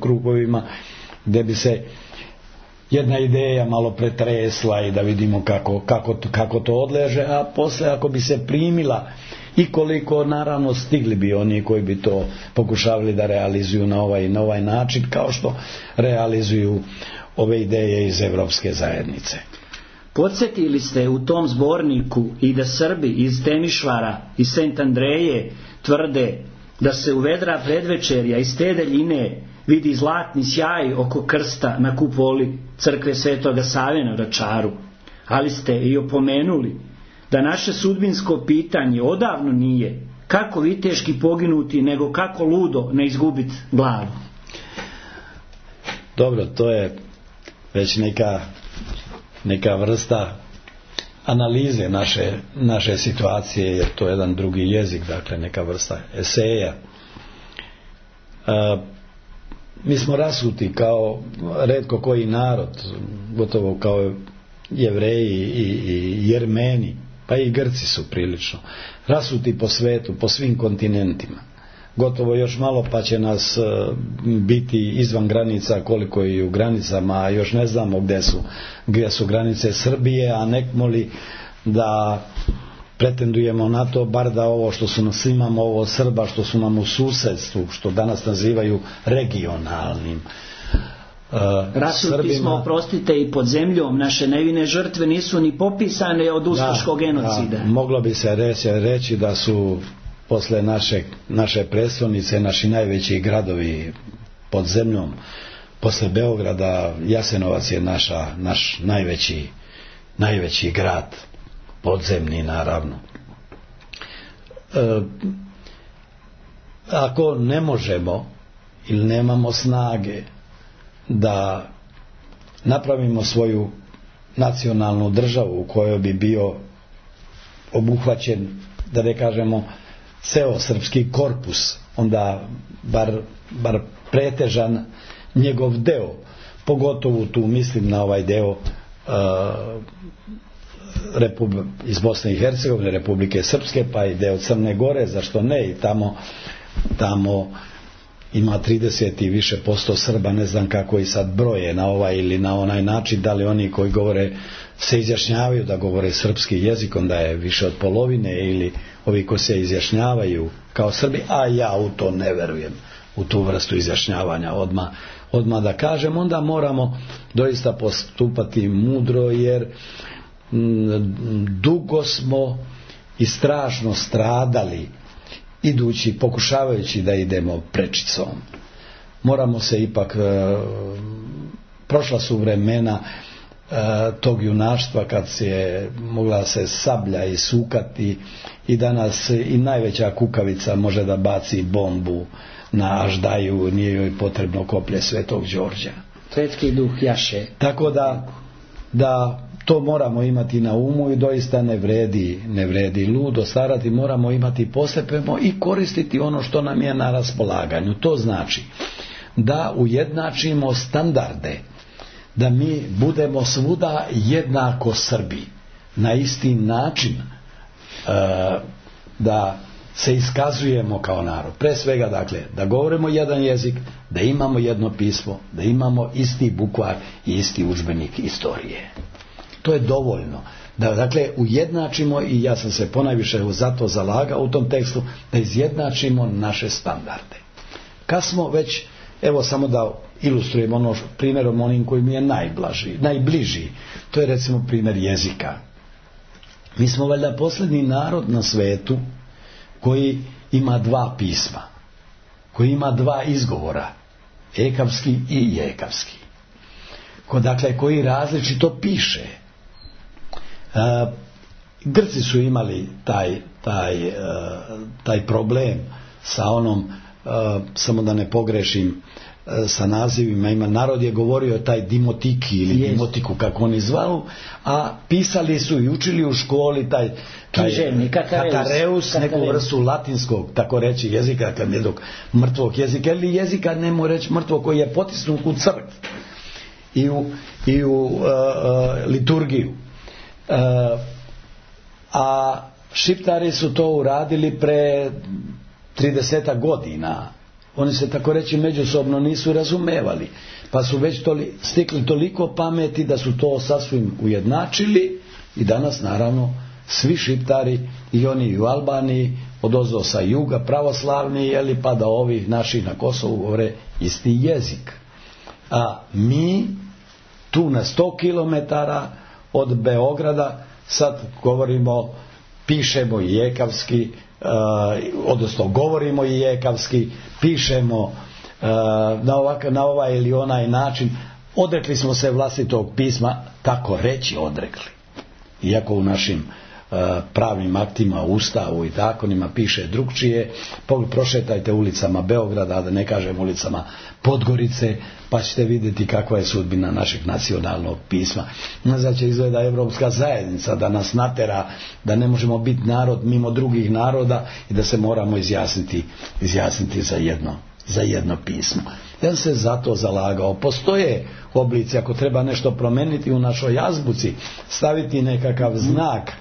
krugovima gdje bi se jedna ideja malo pretresla i da vidimo kako, kako, kako to odleže, a posle ako bi se primila i koliko naravno stigli bi oni koji bi to pokušavali da realizuju na ovaj, na ovaj način kao što realizuju ove ideje iz Evropske zajednice. Podsjetili ste u tom zborniku i da Srbi iz Temišvara i Sent Andreje tvrde da se u vedra predvečerja iz te daljine vidi zlatni sjaj oko krsta na kupoli crkve Svetoga Save na Vračaru, ali ste i opomenuli da naše sudbinsko pitanje odavno nije kako viteški poginuti, nego kako ludo ne izgubiti glavu. Dobro, to je već neka neka vrsta analize naše, naše situacije, jer to je jedan drugi jezik, dakle neka vrsta eseja. E, mi smo rasuti kao retko koji narod, gotovo kao Jevreji i, i Jermeni, pa i Grci su prilično rasuti po svetu, po svim kontinentima. Gotovo još malo pa će nas biti izvan granica koliko i u granicama, a još ne znamo gdje su, gdje su granice Srbije, a nekmo li da pretendujemo na to, bar da ovo što su nas imamo, ovo Srba što su nam u susjedstvu, što danas nazivaju regionalnim Uh, rasuti smo, oprostite, i pod zemljom. Naše nevine žrtve nisu ni popisane od ustaškog da, genocida. Da, moglo bi se reći, reći da su posle naše, naše prestolnice naši najveći gradovi pod zemljom, posle Beograda Jasenovac je naša, naš najveći, najveći grad, podzemni naravno. E, ako ne možemo ili nemamo snage da napravimo svoju nacionalnu državu u kojoj bi bio obuhvaćen, da ne kažemo ceo srpski korpus, onda bar, bar pretežan njegov deo, pogotovo tu mislim na ovaj deo uh, Repub- iz Bosne i Hercegovine, Republike Srpske, pa i deo Crne Gore, zašto ne, i tamo tamo ima trideset i više posto Srba, ne znam kako i sad broje na ovaj ili na onaj način, da li oni koji govore se izjašnjavaju da govore srpski jezik, onda je više od polovine, ili ovi koji se izjašnjavaju kao Srbi, a ja u to ne verujem, u tu vrstu izjašnjavanja, odmah odmah da kažem, onda moramo doista postupati mudro, jer dugo smo i strašno stradali idući, pokušavajući da idemo prečicom. Moramo se ipak, prošla su vremena tog junaštva kad se mogla se sablja i sukati, i danas i najveća kukavica može da baci bombu na aždaju, nije joj potrebno koplje Svetog Đorđa. Svetski duh jaše. Tako da, da to moramo imati na umu, i doista ne vredi, ne vredi ludo starati, moramo imati postepeno i koristiti ono što nam je na raspolaganju. To znači da ujednačimo standarde, da mi budemo svuda jednako Srbi, na isti način, da se iskazujemo kao narod. Pre svega, dakle, da govorimo jedan jezik, da imamo jedno pismo, da imamo isti bukvar i isti udžbenik istorije. To je dovoljno. Da, dakle, ujednačimo, i ja sam se ponajviše za to zalagao u tom tekstu, da izjednačimo naše standarde. Kad smo već, evo samo da ilustrujem ono primjerom onim koji mi je najblaži, najbliži, to je recimo primjer jezika. Mi smo valjda posljednji narod na svetu koji ima dva pisma, koji ima dva izgovora, ekavski i jekavski, ko, dakle, koji različito piše. E, Grci su imali taj, taj, e, taj problem sa onom, e, samo da ne pogrešim, e, sa nazivima, ima, narod je govorio taj dimotiki ili yes. dimotiku, kako oni zvalu, a pisali su i učili u školi taj, taj Književni, katareus, katareus, neku vrstu latinskog, tako reći, jezika, kad jednog mrtvog jezika, ili jezika, nemo reći mrtvog, koji je potisnut u crkvu i u, i u uh, uh, liturgiju. Uh, a Šiptari su to uradili pre tridesetak godina. Oni se, tako reći, međusobno nisu razumevali, pa su već toli, stikli toliko pameti da su to sasvim ujednačili, i danas naravno svi Šiptari, i oni i u Albaniji, odozdo sa juga, pravoslavni, jeli, pa da ovih naših na Kosovu govore isti jezik. A mi tu na sto kilometara od Beograda sad govorimo, pišemo i jekavski, uh, odnosno govorimo i jekavski, pišemo uh, na, ovak, na ovaj ili onaj način. Odrekli smo se vlastitog pisma, tako reći odrekli. Iako u našim uh, pravnim aktima, ustavu i zakonima piše drugčije. Prošetajte ulicama Beograda, da ne kažem ulicama Podgorice, pa ćete vidjeti kakva je sudbina našeg nacionalnog pisma. Nazad će izgleda Evropska zajednica da nas natera da ne možemo biti narod mimo drugih naroda i da se moramo izjasniti, izjasniti za jedno, za jedno pismo. Ja sam se zato zalagao. Postoje oblici, ako treba nešto promeniti u našoj azbuci, staviti nekakav znak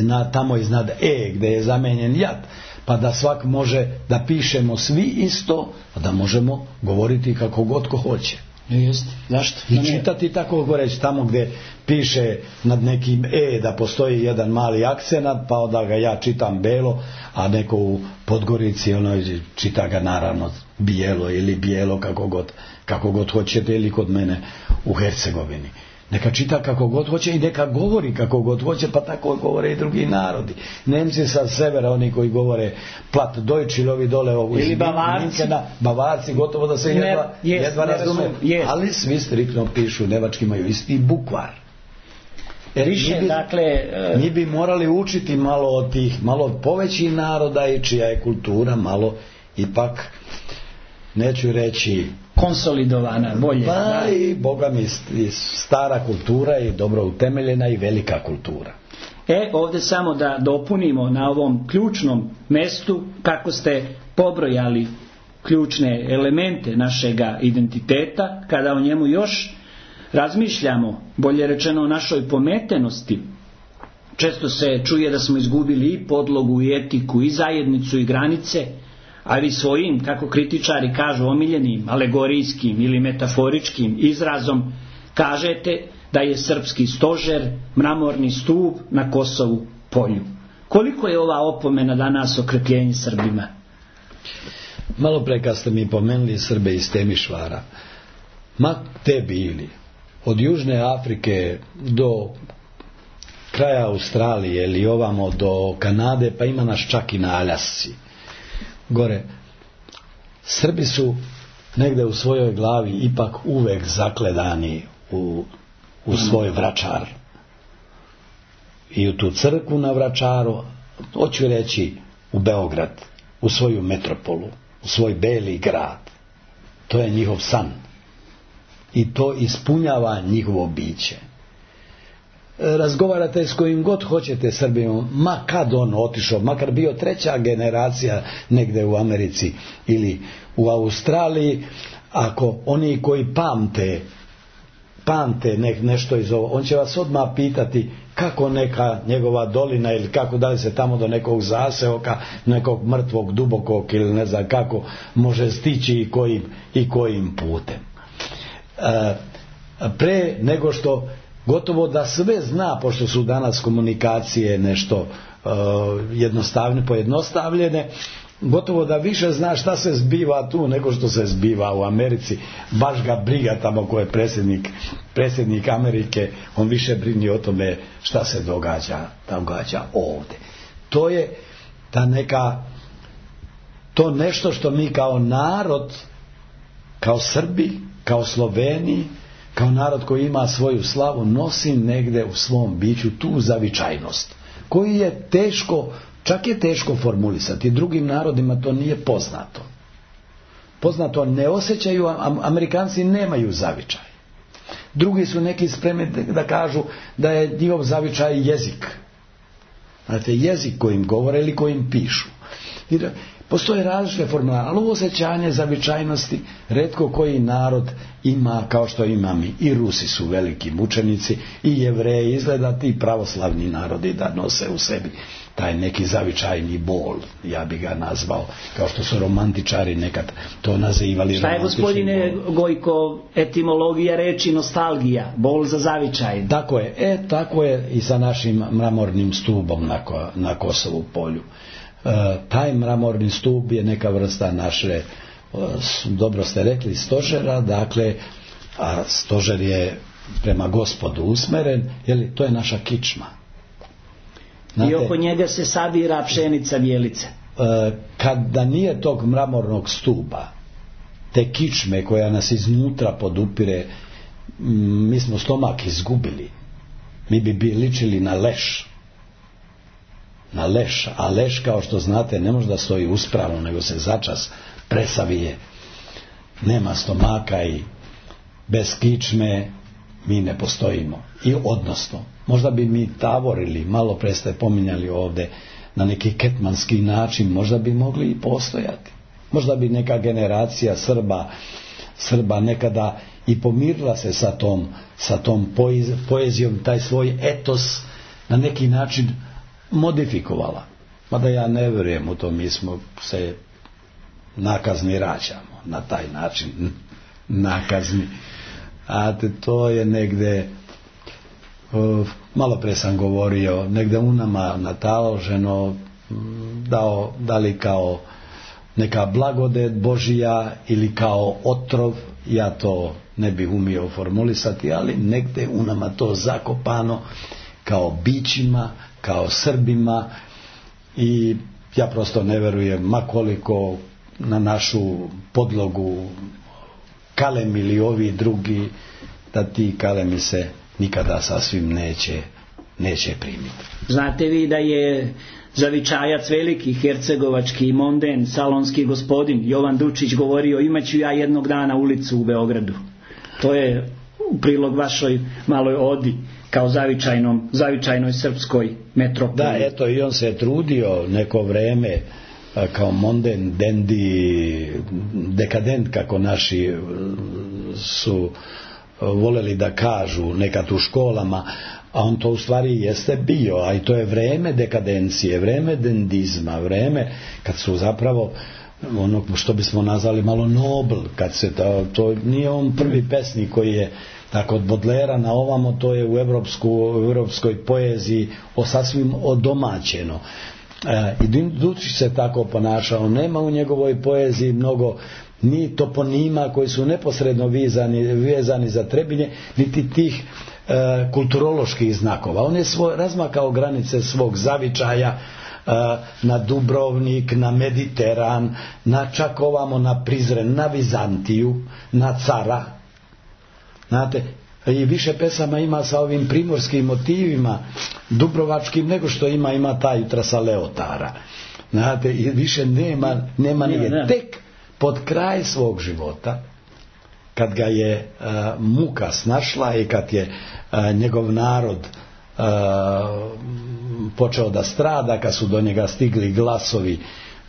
na, tamo iznad E gdje je zamenjen jat, pa da svak može da pišemo svi isto, a da možemo govoriti kako god ko hoće. Jest. Zašto? I čitati tako govoreći tamo gdje piše nad nekim E da postoji jedan mali akcenat, pa onda ga ja čitam belo, a neko u Podgorici ono čita ga naravno bijelo ili bijelo, kako god, kako god hoćete, ili kod mene u Hercegovini. Neka čita kako god hoće i neka govori kako god hoće, pa tako govore i drugi narodi. Nemci sa severa, oni koji govore plat Deutsch, ili ovi dole ovu ili Bavarci. Minkena, Bavarci, gotovo da se jedva, ne, jest, jedva razume, ali svi striktno pišu, nevački imaju isti bukvar. Jer Riše, mi, bi, dakle, uh... mi bi morali učiti malo od tih, malo od povećih naroda i čija je kultura malo ipak, neću reći konsolidovana, bolje. Pa i, boga mi, stara kultura i dobro utemeljena i velika kultura. E, ovdje samo da dopunimo na ovom ključnom mestu, kako ste pobrojali ključne elemente našega identiteta, kada o njemu još razmišljamo, bolje rečeno o našoj pometenosti. Često se čuje da smo izgubili i podlogu, i etiku, i zajednicu, i granice, ali svojim, kako kritičari kažu, omiljenim, alegorijskim ili metaforičkim izrazom kažete da je srpski stožer mramorni stup na Kosovu polju. Koliko je ova opomena danas okrepljenje Srbima? Malo pre kad ste mi pomenuli Srbe iz Temišvara, ma te bili, od Južne Afrike do kraja Australije ili ovamo do Kanade, pa ima nas čak i na Aljasci. Gore, Srbi su negde u svojoj glavi ipak uvek zakledani u, u svoj Vračar. I u tu crkvu na Vračaru, hoću reći u Beograd, u svoju metropolu, u svoj beli grad. To je njihov san. I to ispunjava njihovo biće. Razgovarate s kojim god hoćete Srbijom, ma kad on otišao, makar bio treća generacija negde u Americi ili u Australiji, ako oni koji pamte pamte ne, nešto iz ovo, on će vas odmah pitati kako neka njegova dolina ili kako da li se tamo do nekog zaseoka, nekog mrtvog, dubokog ili ne znam kako može stići i kojim, i kojim putem. E, pre nego što gotovo da sve zna, pošto su danas komunikacije nešto uh, jednostavne, pojednostavljene, gotovo da više zna šta se zbiva tu nego što se zbiva u Americi. Baš ga briga tamo ko je predsjednik, predsjednik Amerike, on više brini o tome šta se događa, događa ovdje. To je ta neka, to nešto što mi kao narod, kao Srbi, kao Sloveni, kao narod koji ima svoju slavu, nosi negde u svom biću tu zavičajnost, koji je teško, čak je teško formulisati. Drugim narodima to nije poznato. Poznato ne osjećaju, Amerikanci nemaju zavičaj. Drugi su neki spremni da kažu da je njihov zavičaj jezik. Znate, jezik kojim govore ili kojim pišu. I da, postoje različite formule, ali ovo osjećanje zavičajnosti retko koji narod ima kao što ima mi. I Rusi su veliki mučenici, i Jevreji, izgleda ti pravoslavni narodi da nose u sebi taj neki zavičajni bol, ja bi ga nazvao, kao što su romantičari nekad to nazivali. Šta je, gospodine Gojko, etimologija reči nostalgija, bol za zavičaj? Tako je, e, tako je i sa našim mramornim stubom na, ko, na Kosovu polju. E, taj mramorni stup je neka vrsta naše, dobro ste rekli, stožera, dakle, a stožer je prema Gospodu usmeren, jer to je naša kičma. Znate, i oko njega se sabira pšenica bijelice. E, kada nije tog mramornog stupa, te kičme koja nas iznutra podupire, mi smo stomak izgubili. Mi bi bi ličili na leš. Na leš, a leš, kao što znate, ne može da stoji uspravno, nego se začas presavije. Nema stomaka i bez kičme mi ne postojimo. I odnosno, možda bi mi tavorili, malo pre ste pominjali ovdje, na neki ketmanski način, možda bi mogli i postojati. Možda bi neka generacija Srba, Srba nekada i pomirila se sa tom, sa tom poezijom, taj svoj etos na neki način modifikovala. Mada ja ne vjerujem u to, mi smo se nakazni rađamo na taj način, nakazni. A to je negde, malo pre sam govorio, negde u nama nataloženo, dao, da li kao neka blagodet Božija ili kao otrov, ja to ne bih umio formulisati, ali negde u nama to zakopano kao bićima, kao Srbima, i ja prosto ne verujem, ma koliko na našu podlogu kalem ili ovi drugi, da ti kalemi se nikada sasvim neće, neće primiti. Znate vi da je zavičajac veliki, hercegovački monden, salonski gospodin Jovan Dučić govorio, imaću ja jednog dana ulicu u Beogradu. To je u prilog vašoj maloj odi kao zavičajnom, zavičajnoj srpskoj metropoli. Da, eto, i on se trudio neko vreme kao monden, dendi, dekadent, kako naši su voleli da kažu nekad u školama, a on to u stvari jeste bio, a i to je vreme dekadencije, vreme dendizma, vreme kad su zapravo ono što bismo nazvali malo nobl, kad se to, to nije on prvi pesnik koji je tako od Bodlera na ovamo, to je u evropsku, u evropskoj poeziji o sasvim odomaćeno. E, I Dučić se tako ponašao. Nema u njegovoj poeziji mnogo ni toponima koji su neposredno vezani, vezani za Trebinje, niti tih e, kulturoloških znakova. On je svoj, razmakao granice svog zavičaja e, na Dubrovnik, na Mediteran, na čak ovamo na Prizren, na Vizantiju, na Cara. Znate, i više pesama ima sa ovim primorskim motivima dubrovačkim nego što ima ima ta Jutra sa Leotara. Znate, i više nema, nema nije. Tek pod kraj svog života, kad ga je uh, muka snašla i kad je uh, njegov narod uh, počeo da strada, kad su do njega stigli glasovi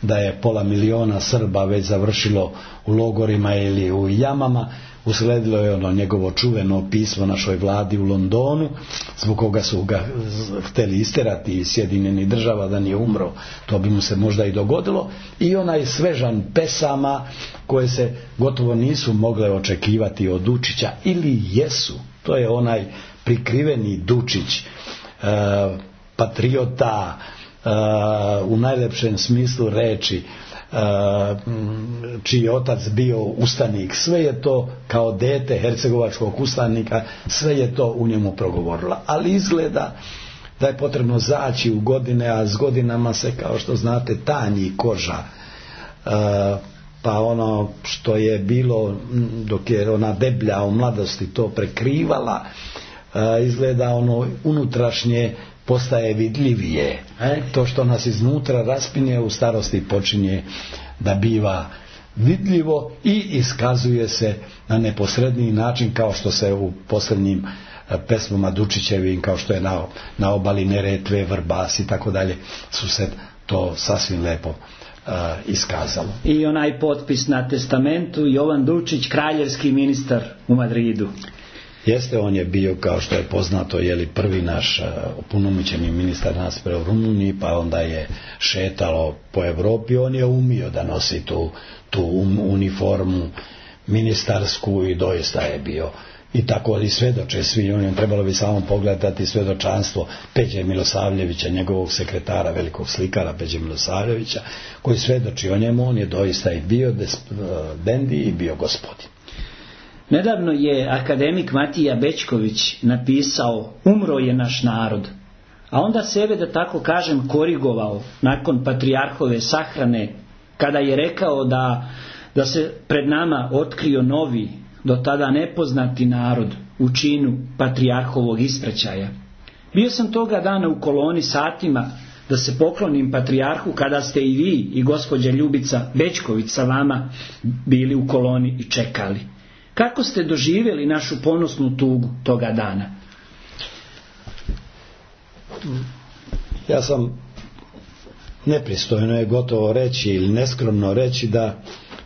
da je pola miliona Srba već završilo u logorima ili u jamama, usledilo je ono njegovo čuveno pismo našoj vladi u Londonu, zbog koga su ga hteli isterati iz Sjedinjenih Država da nije umro, to bi mu se možda i dogodilo, i onaj svežan pesama koje se gotovo nisu mogle očekivati od Dučića, ili jesu, to je onaj prikriveni Dučić, e, patriota, e, u najlepšem smislu reči, čiji je otac bio ustanik, sve je to kao dete hercegovačkog ustanika, sve je to u njemu progovorilo, ali izgleda da je potrebno zaći u godine, a s godinama se, kao što znate, tanji koža, pa ono što je bilo dok je ona deblja u mladosti to prekrivala, izgleda ono unutrašnje postaje vidljivije. E? To što nas iznutra raspinje u starosti počinje da biva vidljivo i iskazuje se na neposredniji način, kao što se u posljednjim pesmama Dučićevim, kao što je na, na obali Neretve, Vrbas i tako dalje, su se to sasvim lepo uh, iskazalo. I onaj potpis na testamentu, Jovan Dučić, kraljevski ministar u Madridu. Jeste, on je bio, kao što je poznato, je li prvi naš opunomoćeni ministar nas pre u Rumuniji, pa onda je šetalo po Evropi. On je umio da nosi tu, tu uniformu ministarsku i doista je bio. I tako i svedoče svi, on je trebalo bi samo pogledati svedočanstvo Peđe Milosavljevića, njegovog sekretara, velikog slikara Peđe Milosavljevića, koji svedoči o njemu. On je doista i bio dendi i bio gospodin. Nedavno je akademik Matija Bećković napisao "Umro je naš narod", a onda sebe, da tako kažem, korigovao nakon patrijarhove sahrane, kada je rekao da, da se pred nama otkrio novi, do tada nepoznati narod u činu patrijarhovog ispraćaja. Bio sam toga dana u koloni satima da se poklonim patrijarhu, kada ste i vi i gospođa Ljubica Bećković sa vama bili u koloni i čekali. Kako ste doživjeli našu ponosnu tugu toga dana? Ja sam, nepristojno je gotovo reći ili neskromno reći, da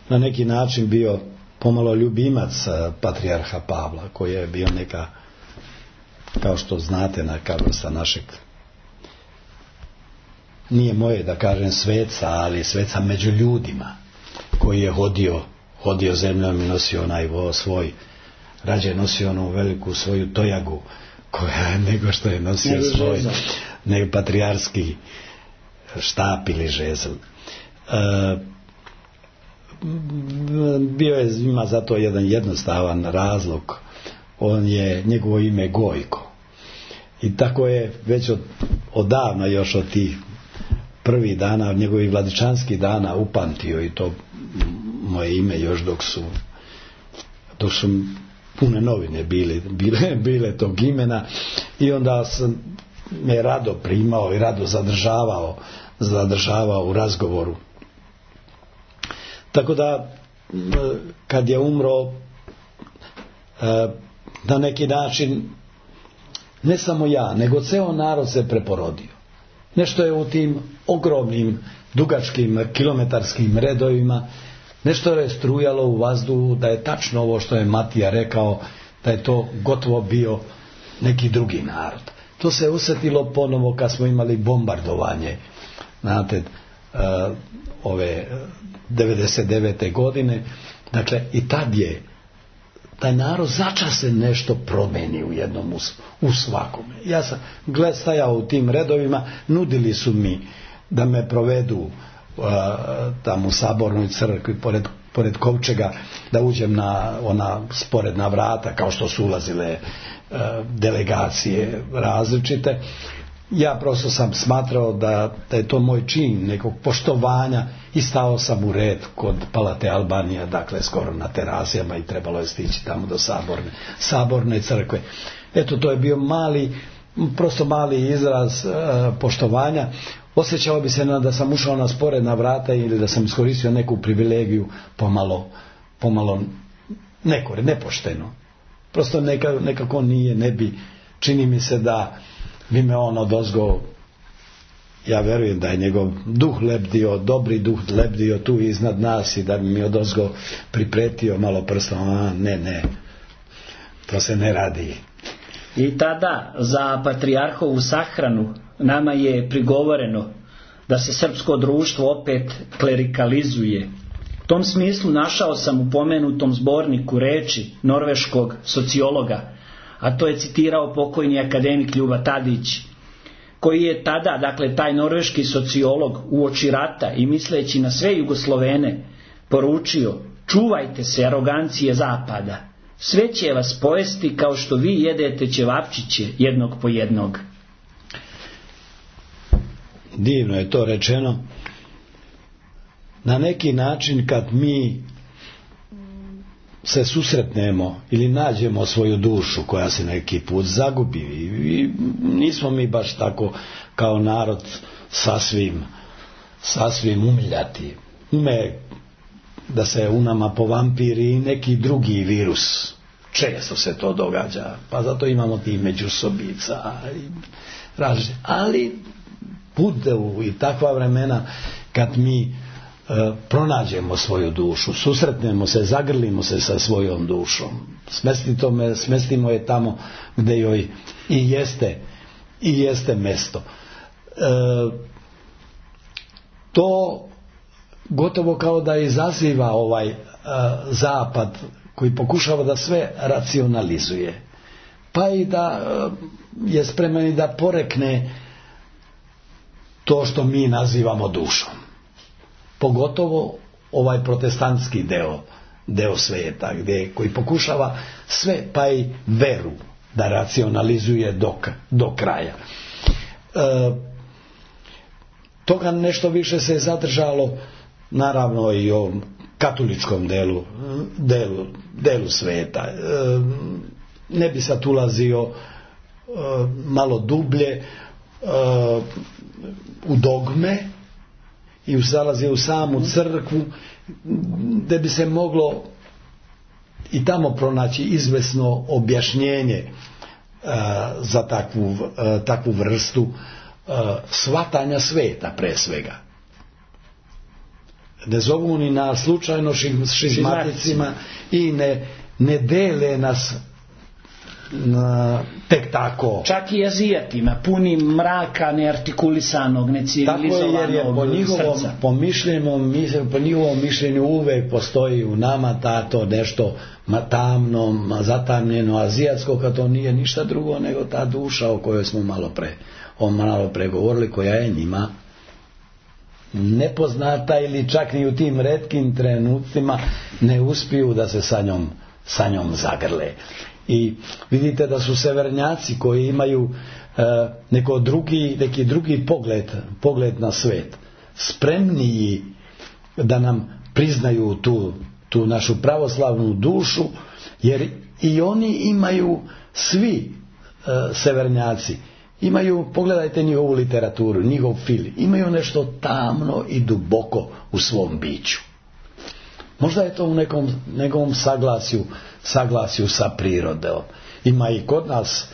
na neki način bio pomalo ljubimac patrijarha Pavla, koji je bio neka, kao što znate, neka vrsta našeg, nije moje da kažem sveca, ali sveca među ljudima, koji je hodio hodio zemljom i nosio onaj vo svoj, rađe nosio onu veliku svoju tojagu koja nego što je nosio ne svoj ne patrijarski štap ili žezl. E, bio je, ima za to jedan jednostavan razlog. On je, njegovo ime Gojko, i tako je već od, odavno, još od tih prvih dana, od njegovih vladičanskih dana upamtio i to moje ime još dok su dok su pune novine bile, bile, bile tog imena, i onda sam me rado primao i rado zadržavao zadržavao u razgovoru. Tako da kad je umro, na neki način ne samo ja, nego ceo narod se preporodio. Nešto je u tim ogromnim dugačkim kilometarskim redovima, nešto je strujalo u vazduhu, da je tačno ovo što je Matija rekao, da je to gotovo bio neki drugi narod. To se osjetilo ponovo kad smo imali bombardovanje, znate, ove devedeset devete godine. Dakle, i tad je taj narod začas se nešto promeni u jednom, u svakome. Ja sam gled stajao u tim redovima, nudili su mi da me provedu uh, tamo u Sabornoj crkvi pored, pored kovčega, da uđem na ona sporedna vrata kao što su ulazile uh, delegacije različite. Ja prosto sam smatrao da, da je to moj čin nekog poštovanja i stao sam u red kod Palate Albanija, dakle skoro na terasijama, i trebalo je stići tamo do Saborne, Saborne crkve. Eto, to je bio mali, prosto mali izraz uh, poštovanja. Osjećao bi se da sam ušao na sporedna vrata ili da sam iskoristio neku privilegiju pomalo, pomalo neko, nepošteno. Prosto neka, nekako nije, ne bi, čini mi se da bi me on odozgo, ja verujem da je njegov duh lebdio, dobri duh lebdio tu iznad nas i da bi mi odozgo pripretio malo prstom, a ne, ne, to se ne radi. I tada za patrijarhovu sahranu nama je prigovoreno da se srpsko društvo opet klerikalizuje. U tom smislu našao sam u pomenutom zborniku reči norveškog sociologa, a to je citirao pokojni akademik Ljuba Tadić, koji je tada, dakle taj norveški sociolog, uoči rata i misleći na sve Jugoslovene, poručio: čuvajte se arogancije zapada, sve će vas pojesti kao što vi jedete ćevapčiće jednog po jednog. Divno je to rečeno. Na neki način kad mi se susretnemo ili nađemo svoju dušu koja se neki put zagubi, i nismo mi baš tako kao narod sasvim sasvim umiljati. Ume da se u nama povampiri neki drugi virus. Često se to događa, pa zato imamo ti međusobica i različite. Ali bude u i takva vremena kad mi e, pronađemo svoju dušu, susretnemo se, zagrlimo se sa svojom dušom, smestimo, me, smestimo je tamo gdje joj i jeste i jeste mesto. E, to gotovo kao da izaziva ovaj e, zapad koji pokušava da sve racionalizuje, pa i da e, je spreman i da porekne to što mi nazivamo dušom. Pogotovo ovaj protestantski deo, deo svijeta, gdje, koji pokušava sve, pa i veru, da racionalizuje do, do kraja. E, toga nešto više se je zadržalo, naravno, i u ovom katoličkom delu, delu, delu svijeta. E, ne bi sad ulazio e, malo dublje Uh, u dogme i zalazio u samu crkvu, gdje bi se moglo i tamo pronaći izvesno objašnjenje uh, za takvu, uh, takvu vrstu uh, shvatanja sveta pre svega. Ne zovu ni na slučajno šizmaticima i ne, ne dele nas na, tek tako. Čak i azijatima, puni mraka, neartikulisanog, necivilizovanog tako je, jer je po njihovom, srca. Po, mišljenju, po njihovom mišljenju uvek postoji u nama tato nešto tamno, zatamljeno, azijatsko, kad to nije ništa drugo nego ta duša o kojoj smo malo pre, o malo pre govorili, koja je njima nepoznata ili čak ni u tim retkim trenucima ne uspiju da se sa njom, sa njom zagrle. I vidite da su severnjaci koji imaju e, neko drugi, neki drugi pogled, pogled na svet, spremniji da nam priznaju tu, tu našu pravoslavnu dušu, jer i oni imaju, svi e, severnjaci imaju, pogledajte njihovu literaturu, njihov film, imaju nešto tamno i duboko u svom biću. Možda je to u nekom, nekom saglasju, saglasju sa prirodom. Ima i kod nas,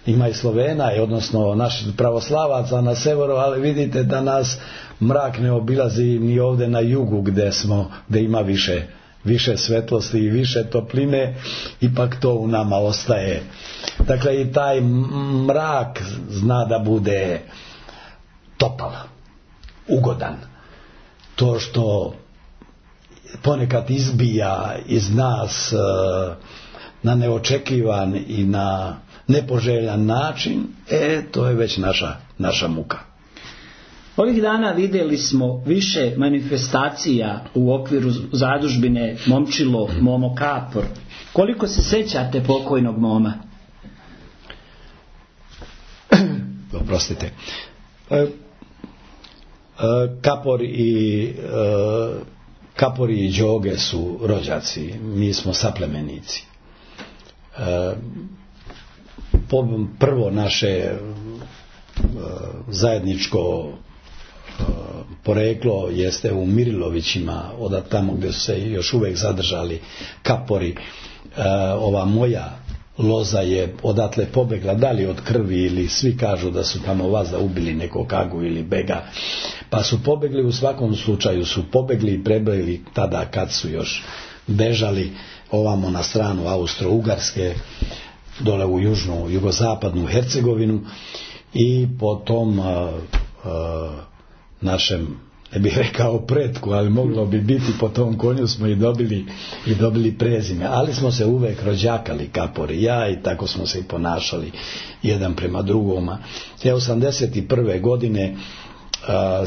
ima i Slovena, odnosno naših pravoslavaca na severu, ali vidite da nas mrak ne obilazi ni ovdje na jugu gdje smo, gdje ima više, više svetlosti i više topline, ipak to u nama ostaje. Dakle, i taj mrak zna da bude topal, ugodan. To što ponekad izbija iz nas e, na neočekivan i na nepoželjan način, e, to je već naša, naša muka. Ovih dana vidjeli smo više manifestacija u okviru zadužbine Momčilo, Momo Kapor. Koliko se sjećate pokojnog Moma? Oprostite. Kapor i Kapor i Đoge su rođaci, mi smo saplemenici. Prvo naše zajedničko poreklo jeste u Mirilovićima, od tamo gdje su se još uvijek zadržali Kapori. Ova moja loza je odatle pobegla, da li od krvi ili svi kažu da su tamo vaza ubili nekog Agu ili Bega, pa su pobegli, u svakom slučaju su pobegli i prebili tada kad su još bežali ovamo na stranu Austro-Ugarske, dole u južnu, jugozapadnu Hercegovinu, i po tom uh, uh, našem, ne bih rekao pretku, ali moglo bi biti, po tom konju smo i dobili, i dobili prezime, ali smo se uvek rođakali Kapori, ja, i tako smo se i ponašali jedan prema drugoma. Te osamdeset prve godine uh,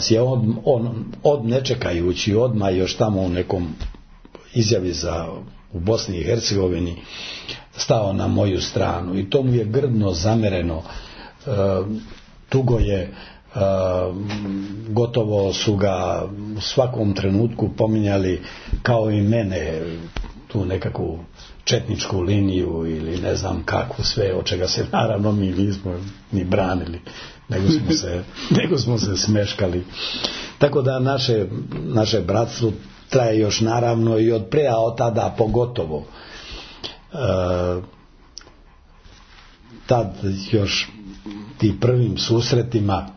je on, on od nečekajući odmah još tamo u nekom izjavi za u Bosni i Hercegovini stao na moju stranu, i to mu je grdno zamereno. Uh, tugo je, uh, gotovo su ga u svakom trenutku pominjali kao i mene, tu nekakvu četničku liniju ili ne znam kakvu sve, od čega se naravno mi nismo ni branili, nego smo se, nego smo se smeškali. Tako da naše, naše bratstvo traje još naravno i od pre, a od tada pogotovo. Uh, tad još ti prvim susretima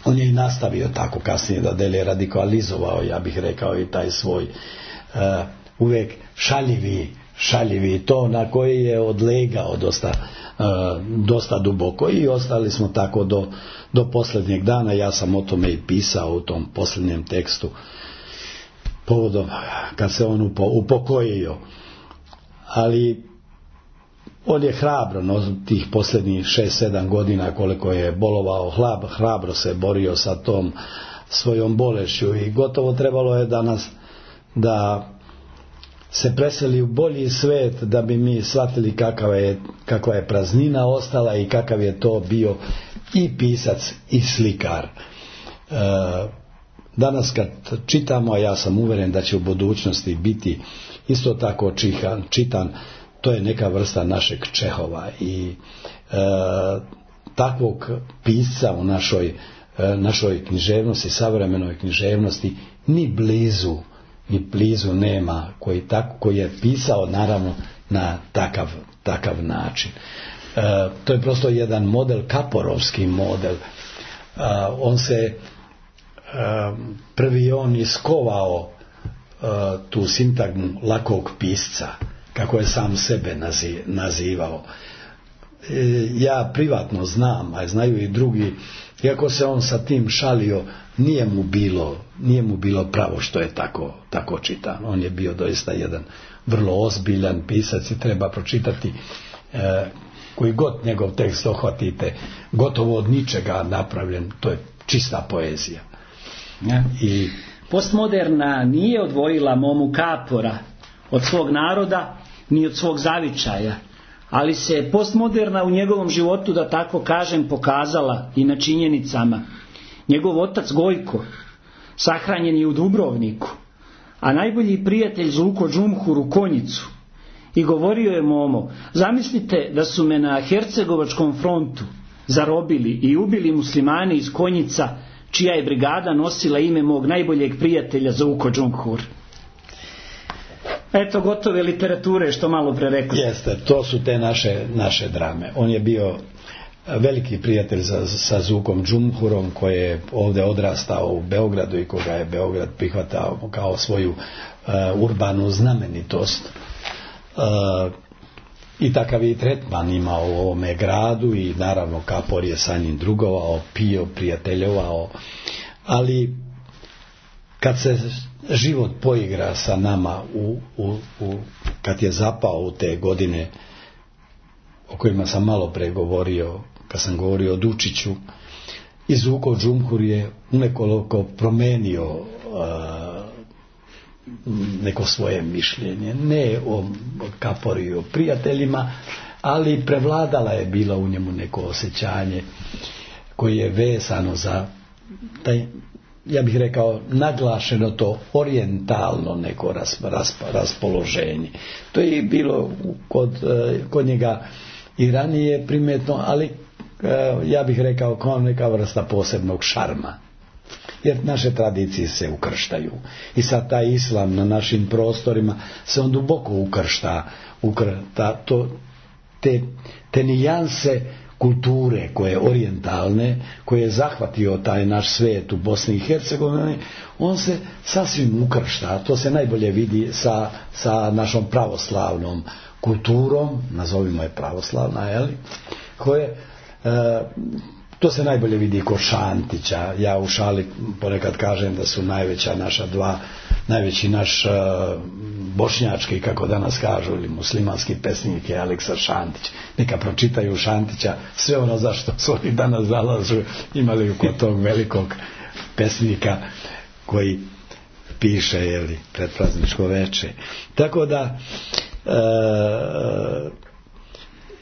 on je i nastavio tako kasnije da dele radikalizovao, ja bih rekao, i taj svoj uh, uvijek šaljivi šaljivi to na koji je odlegao dosta, uh, dosta duboko, i ostali smo tako do, do posljednjeg dana. Ja sam o tome i pisao u tom posljednjem tekstu povodom kad se on upo, upokojio, ali on je hrabro, no, tih posljednjih šest sedam godina koliko je bolovao, hlab, hrabro se borio sa tom svojom bolešću, i gotovo trebalo je danas da se preseli u bolji svet da bi mi shvatili kakva je, kakva je praznina ostala i kakav je to bio i pisac i slikar. E, danas kad čitamo, a ja sam uvjeren da će u budućnosti biti isto tako čihan, čitan, to je neka vrsta našeg Čehova, i e, takvog pisca u našoj, e, našoj književnosti, savremenoj književnosti, ni blizu, ni blizu nema, koji, tak, koji je pisao naravno na takav, takav način. E, to je prosto jedan model, kaporovski model. E, on se e, prvi on iskovao e, tu sintagmu lakog pisca, kako je sam sebe nazivao. Ja privatno znam, a znaju i drugi, iako se on sa tim šalio, nije mu bilo, nije mu bilo pravo što je tako, tako čitan. On je bio doista jedan vrlo ozbiljan pisac i treba pročitati eh, koji god njegov tekst ohvatite, gotovo od ničega napravljen, to je čista poezija. Ja. I postmoderna nije odvojila Momu Kapora od svog naroda ni od svog zavičaja, ali se postmoderna u njegovom životu, da tako kažem, pokazala i na činjenicama. Njegov otac Gojko sahranjen je u Dubrovniku, a najbolji prijatelj Zuko Džumhur u Konjicu, i govorio je Momo: zamislite da su me na Hercegovačkom frontu zarobili i ubili muslimani iz Konjica, čija je brigada nosila ime mog najboljeg prijatelja Zuko Džumhur. Eto gotove literature što malo pre rekli. Jeste, to su te naše, naše drame. On je bio veliki prijatelj za, sa Zukom Džumhurom, koji je ovdje odrastao u Beogradu i koga je Beograd prihvatao kao svoju uh, urbanu znamenitost. Uh, I takav je i tretman imao u ovome gradu, i naravno Kapor je sa njim drugovao, pio, prijateljovao, ali kad se život poigra sa nama u, u, u, kad je zapao u te godine o kojima sam malo pre govorio, kad sam govorio o Dučiću, Izvuko Džumhur je nekoliko promenio uh, neko svoje mišljenje, ne o Kapori i o prijateljima, ali prevladala je bila u njemu neko osjećanje koje je vezano za taj, ja bih rekao, naglašeno to orijentalno neko ras, ras, raspoloženje. To je bilo kod, kod njega i ranije primetno, ali ja bih rekao kao neka vrsta posebnog šarma. Jer naše tradicije se ukrštaju. I sad taj islam na našim prostorima se on duboko ukršta. ukrta, to, te, te nijanse kulture koje orijentalne, koje je zahvatio taj naš svijet u Bosni i Hercegovini, on se sasvim ukršta. To se najbolje vidi sa, sa našom pravoslavnom kulturom, nazovimo je pravoslavna, jeli, koje e, to se najbolje vidi kod Šantića. Ja u šali ponekad kažem da su najveća naša dva, najveći naš uh, bošnjački, kako danas kažu, ili muslimanski pesnik je Aleksa Šantić. Neka pročitaju Šantića, sve ono zašto su oni danas zalažu, imali kod tog velikog pesnika koji piše, jeli, predprazničko veče. Tako da uh,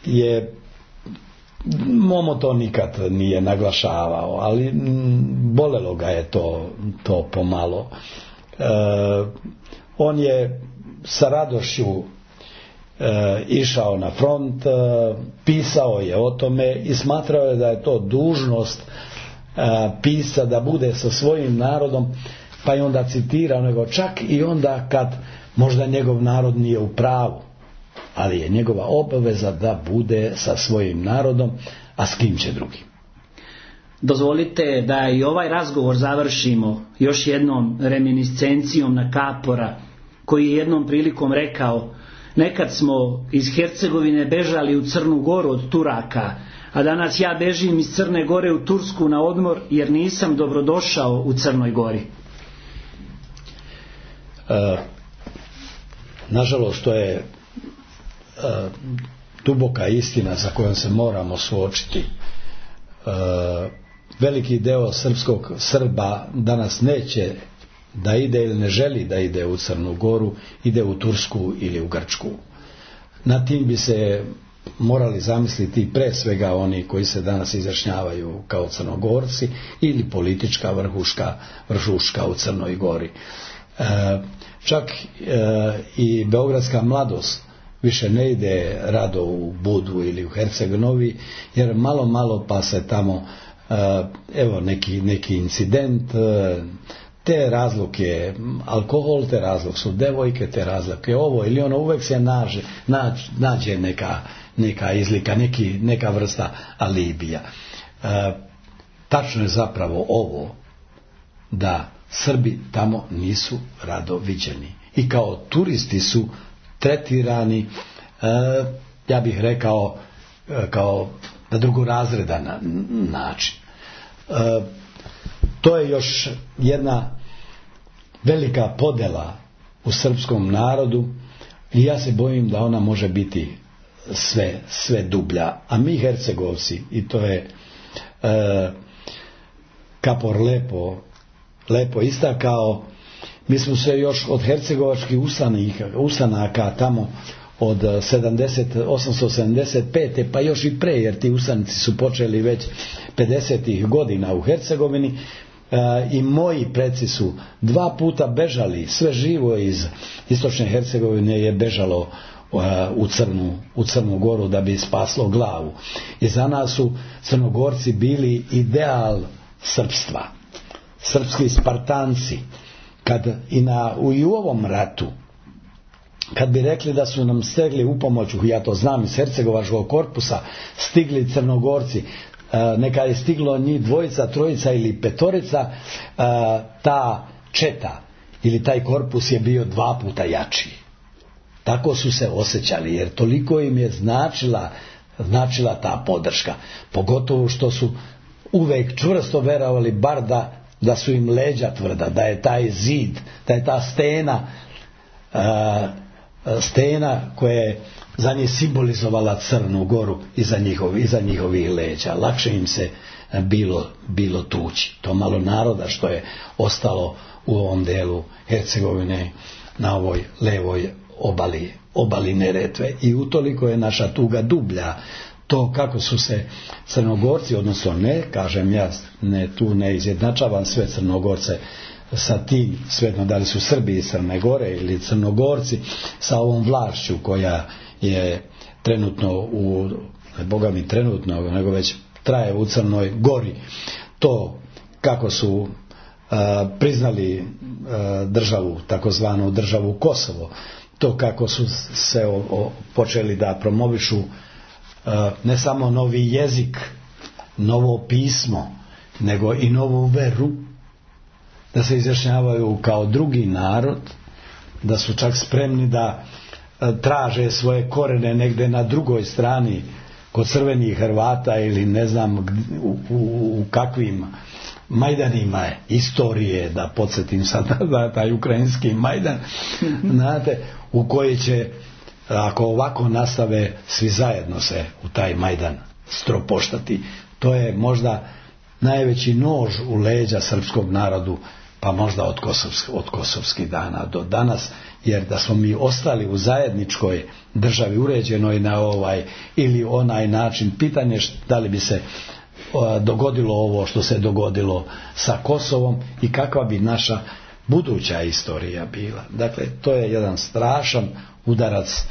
je Momo to nikad nije naglašavao, ali bolelo ga je to, to pomalo. E, on je sa radošću e, išao na front, e, pisao je o tome i smatrao je da je to dužnost e, pisa da bude sa svojim narodom, pa je onda citirao, nego čak i onda kad možda njegov narod nije u pravu, ali je njegova obaveza da bude sa svojim narodom, a s kim će drugim. Dozvolite da i ovaj razgovor završimo još jednom reminiscencijom na Kapora, koji je jednom prilikom rekao: nekad smo iz Hercegovine bežali u Crnu Goru od Turaka, a danas ja bežim iz Crne Gore u Tursku na odmor, jer nisam dobrodošao u Crnoj Gori. E, nažalost, to je duboka istina sa kojom se moramo suočiti. E, veliki deo srpskog Srba danas neće da ide ili ne želi da ide u Crnu Goru, ide u Tursku ili u Grčku. Na tim bi se morali zamisliti pre svega oni koji se danas izjašnjavaju kao Crnogorci ili politička vrhuška, vrhuška u Crnoj Gori. E, čak e, i beogradska mladost više ne ide rado u Budvu ili u Herceg-Novi, jer malo malo pa se tamo evo neki, neki incident, te razlog je alkohol, te razlog su devojke, te razlog je ovo ili ono, uvek se nađe, nađe, nađe neka, neka izlika, neki, neka vrsta alibija. E, tačno je zapravo ovo, da Srbi tamo nisu rado viđeni i kao turisti su tretirani, e, ja bih rekao, e, kao na drugorazredan način. E, to je još jedna velika podela u srpskom narodu i ja se bojim da ona može biti sve, sve dublja. A mi Hercegovci, i to je e, Kapor lepo, lepo istakao, mi smo se još od hercegovačkih ustanaka tamo od osamsto sedamdeset pete pa još i pre, jer ti ustanici su počeli već pedesetih godina u Hercegovini, e, i moji preci su dva puta bežali, sve živo iz istočne Hercegovine je bežalo e, u, Crnu, u Crnu Goru da bi spaslo glavu. I za nas su Crnogorci bili ideal srpstva, srpski Spartanci. Kad i, na, i u ovom ratu, kad bi rekli da su nam stegli u pomoću, ja to znam iz Hercegovačkog korpusa, stigli Crnogorci, neka je stiglo njih dvojica, trojica ili petorica, ta četa ili taj korpus je bio dva puta jači. Tako su se osjećali, jer toliko im je značila, značila ta podrška. Pogotovo što su uvek čvrsto verovali, bar da da su im leđa tvrda, da je taj zid, da je ta stena, uh, stena koja je za njih simbolizovala Crnu Goru iza, njihov, iza njihovih leđa. Lakše im se bilo, bilo tući. To malo naroda što je ostalo u ovom delu Hercegovine na ovoj levoj obali, obali Neretve. I utoliko je naša tuga dublja. To kako su se Crnogorci, odnosno ne, kažem ja, ne, tu ne izjednačavam sve Crnogorce sa tim, svejedno da li su Srbi iz Crne Gore ili Crnogorci sa ovom vlašću koja je trenutno u, boga mi trenutno, nego već traje u Crnoj Gori. To kako su a, priznali a, državu, takozvanu državu Kosovo, to kako su se o, o, počeli da promovišu a, ne samo novi jezik, novo pismo, nego i novu veru, da se izjašnjavaju kao drugi narod, da su čak spremni da traže svoje korene negde na drugoj strani kod crvenih Hrvata ili ne znam u, u, u kakvim majdanima istorije, da podsjetim sad na taj ukrajinski majdan, znate, u koji će, ako ovako nastave, svi zajedno se u taj majdan stropoštati. To je možda najveći nož u leđa srpskog narodu, pa možda od, kosovsk, od kosovskih dana do danas, jer da smo mi ostali u zajedničkoj državi uređenoj na ovaj ili onaj način, pitanje da li bi se o, dogodilo ovo što se dogodilo sa Kosovom i kakva bi naša buduća istorija bila. Dakle, to je jedan strašan udarac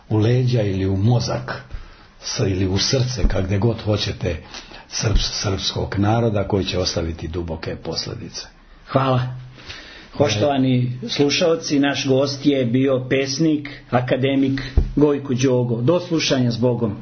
u leđa ili u mozak ili u srce, kakde god hoćete, srps, srpskog naroda, koji će ostaviti duboke posljedice. Hvala. Poštovani slušaoci, naš gost je bio pesnik, akademik Gojko Đogo. Do slušanja s Bogom.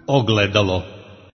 Ogledalo.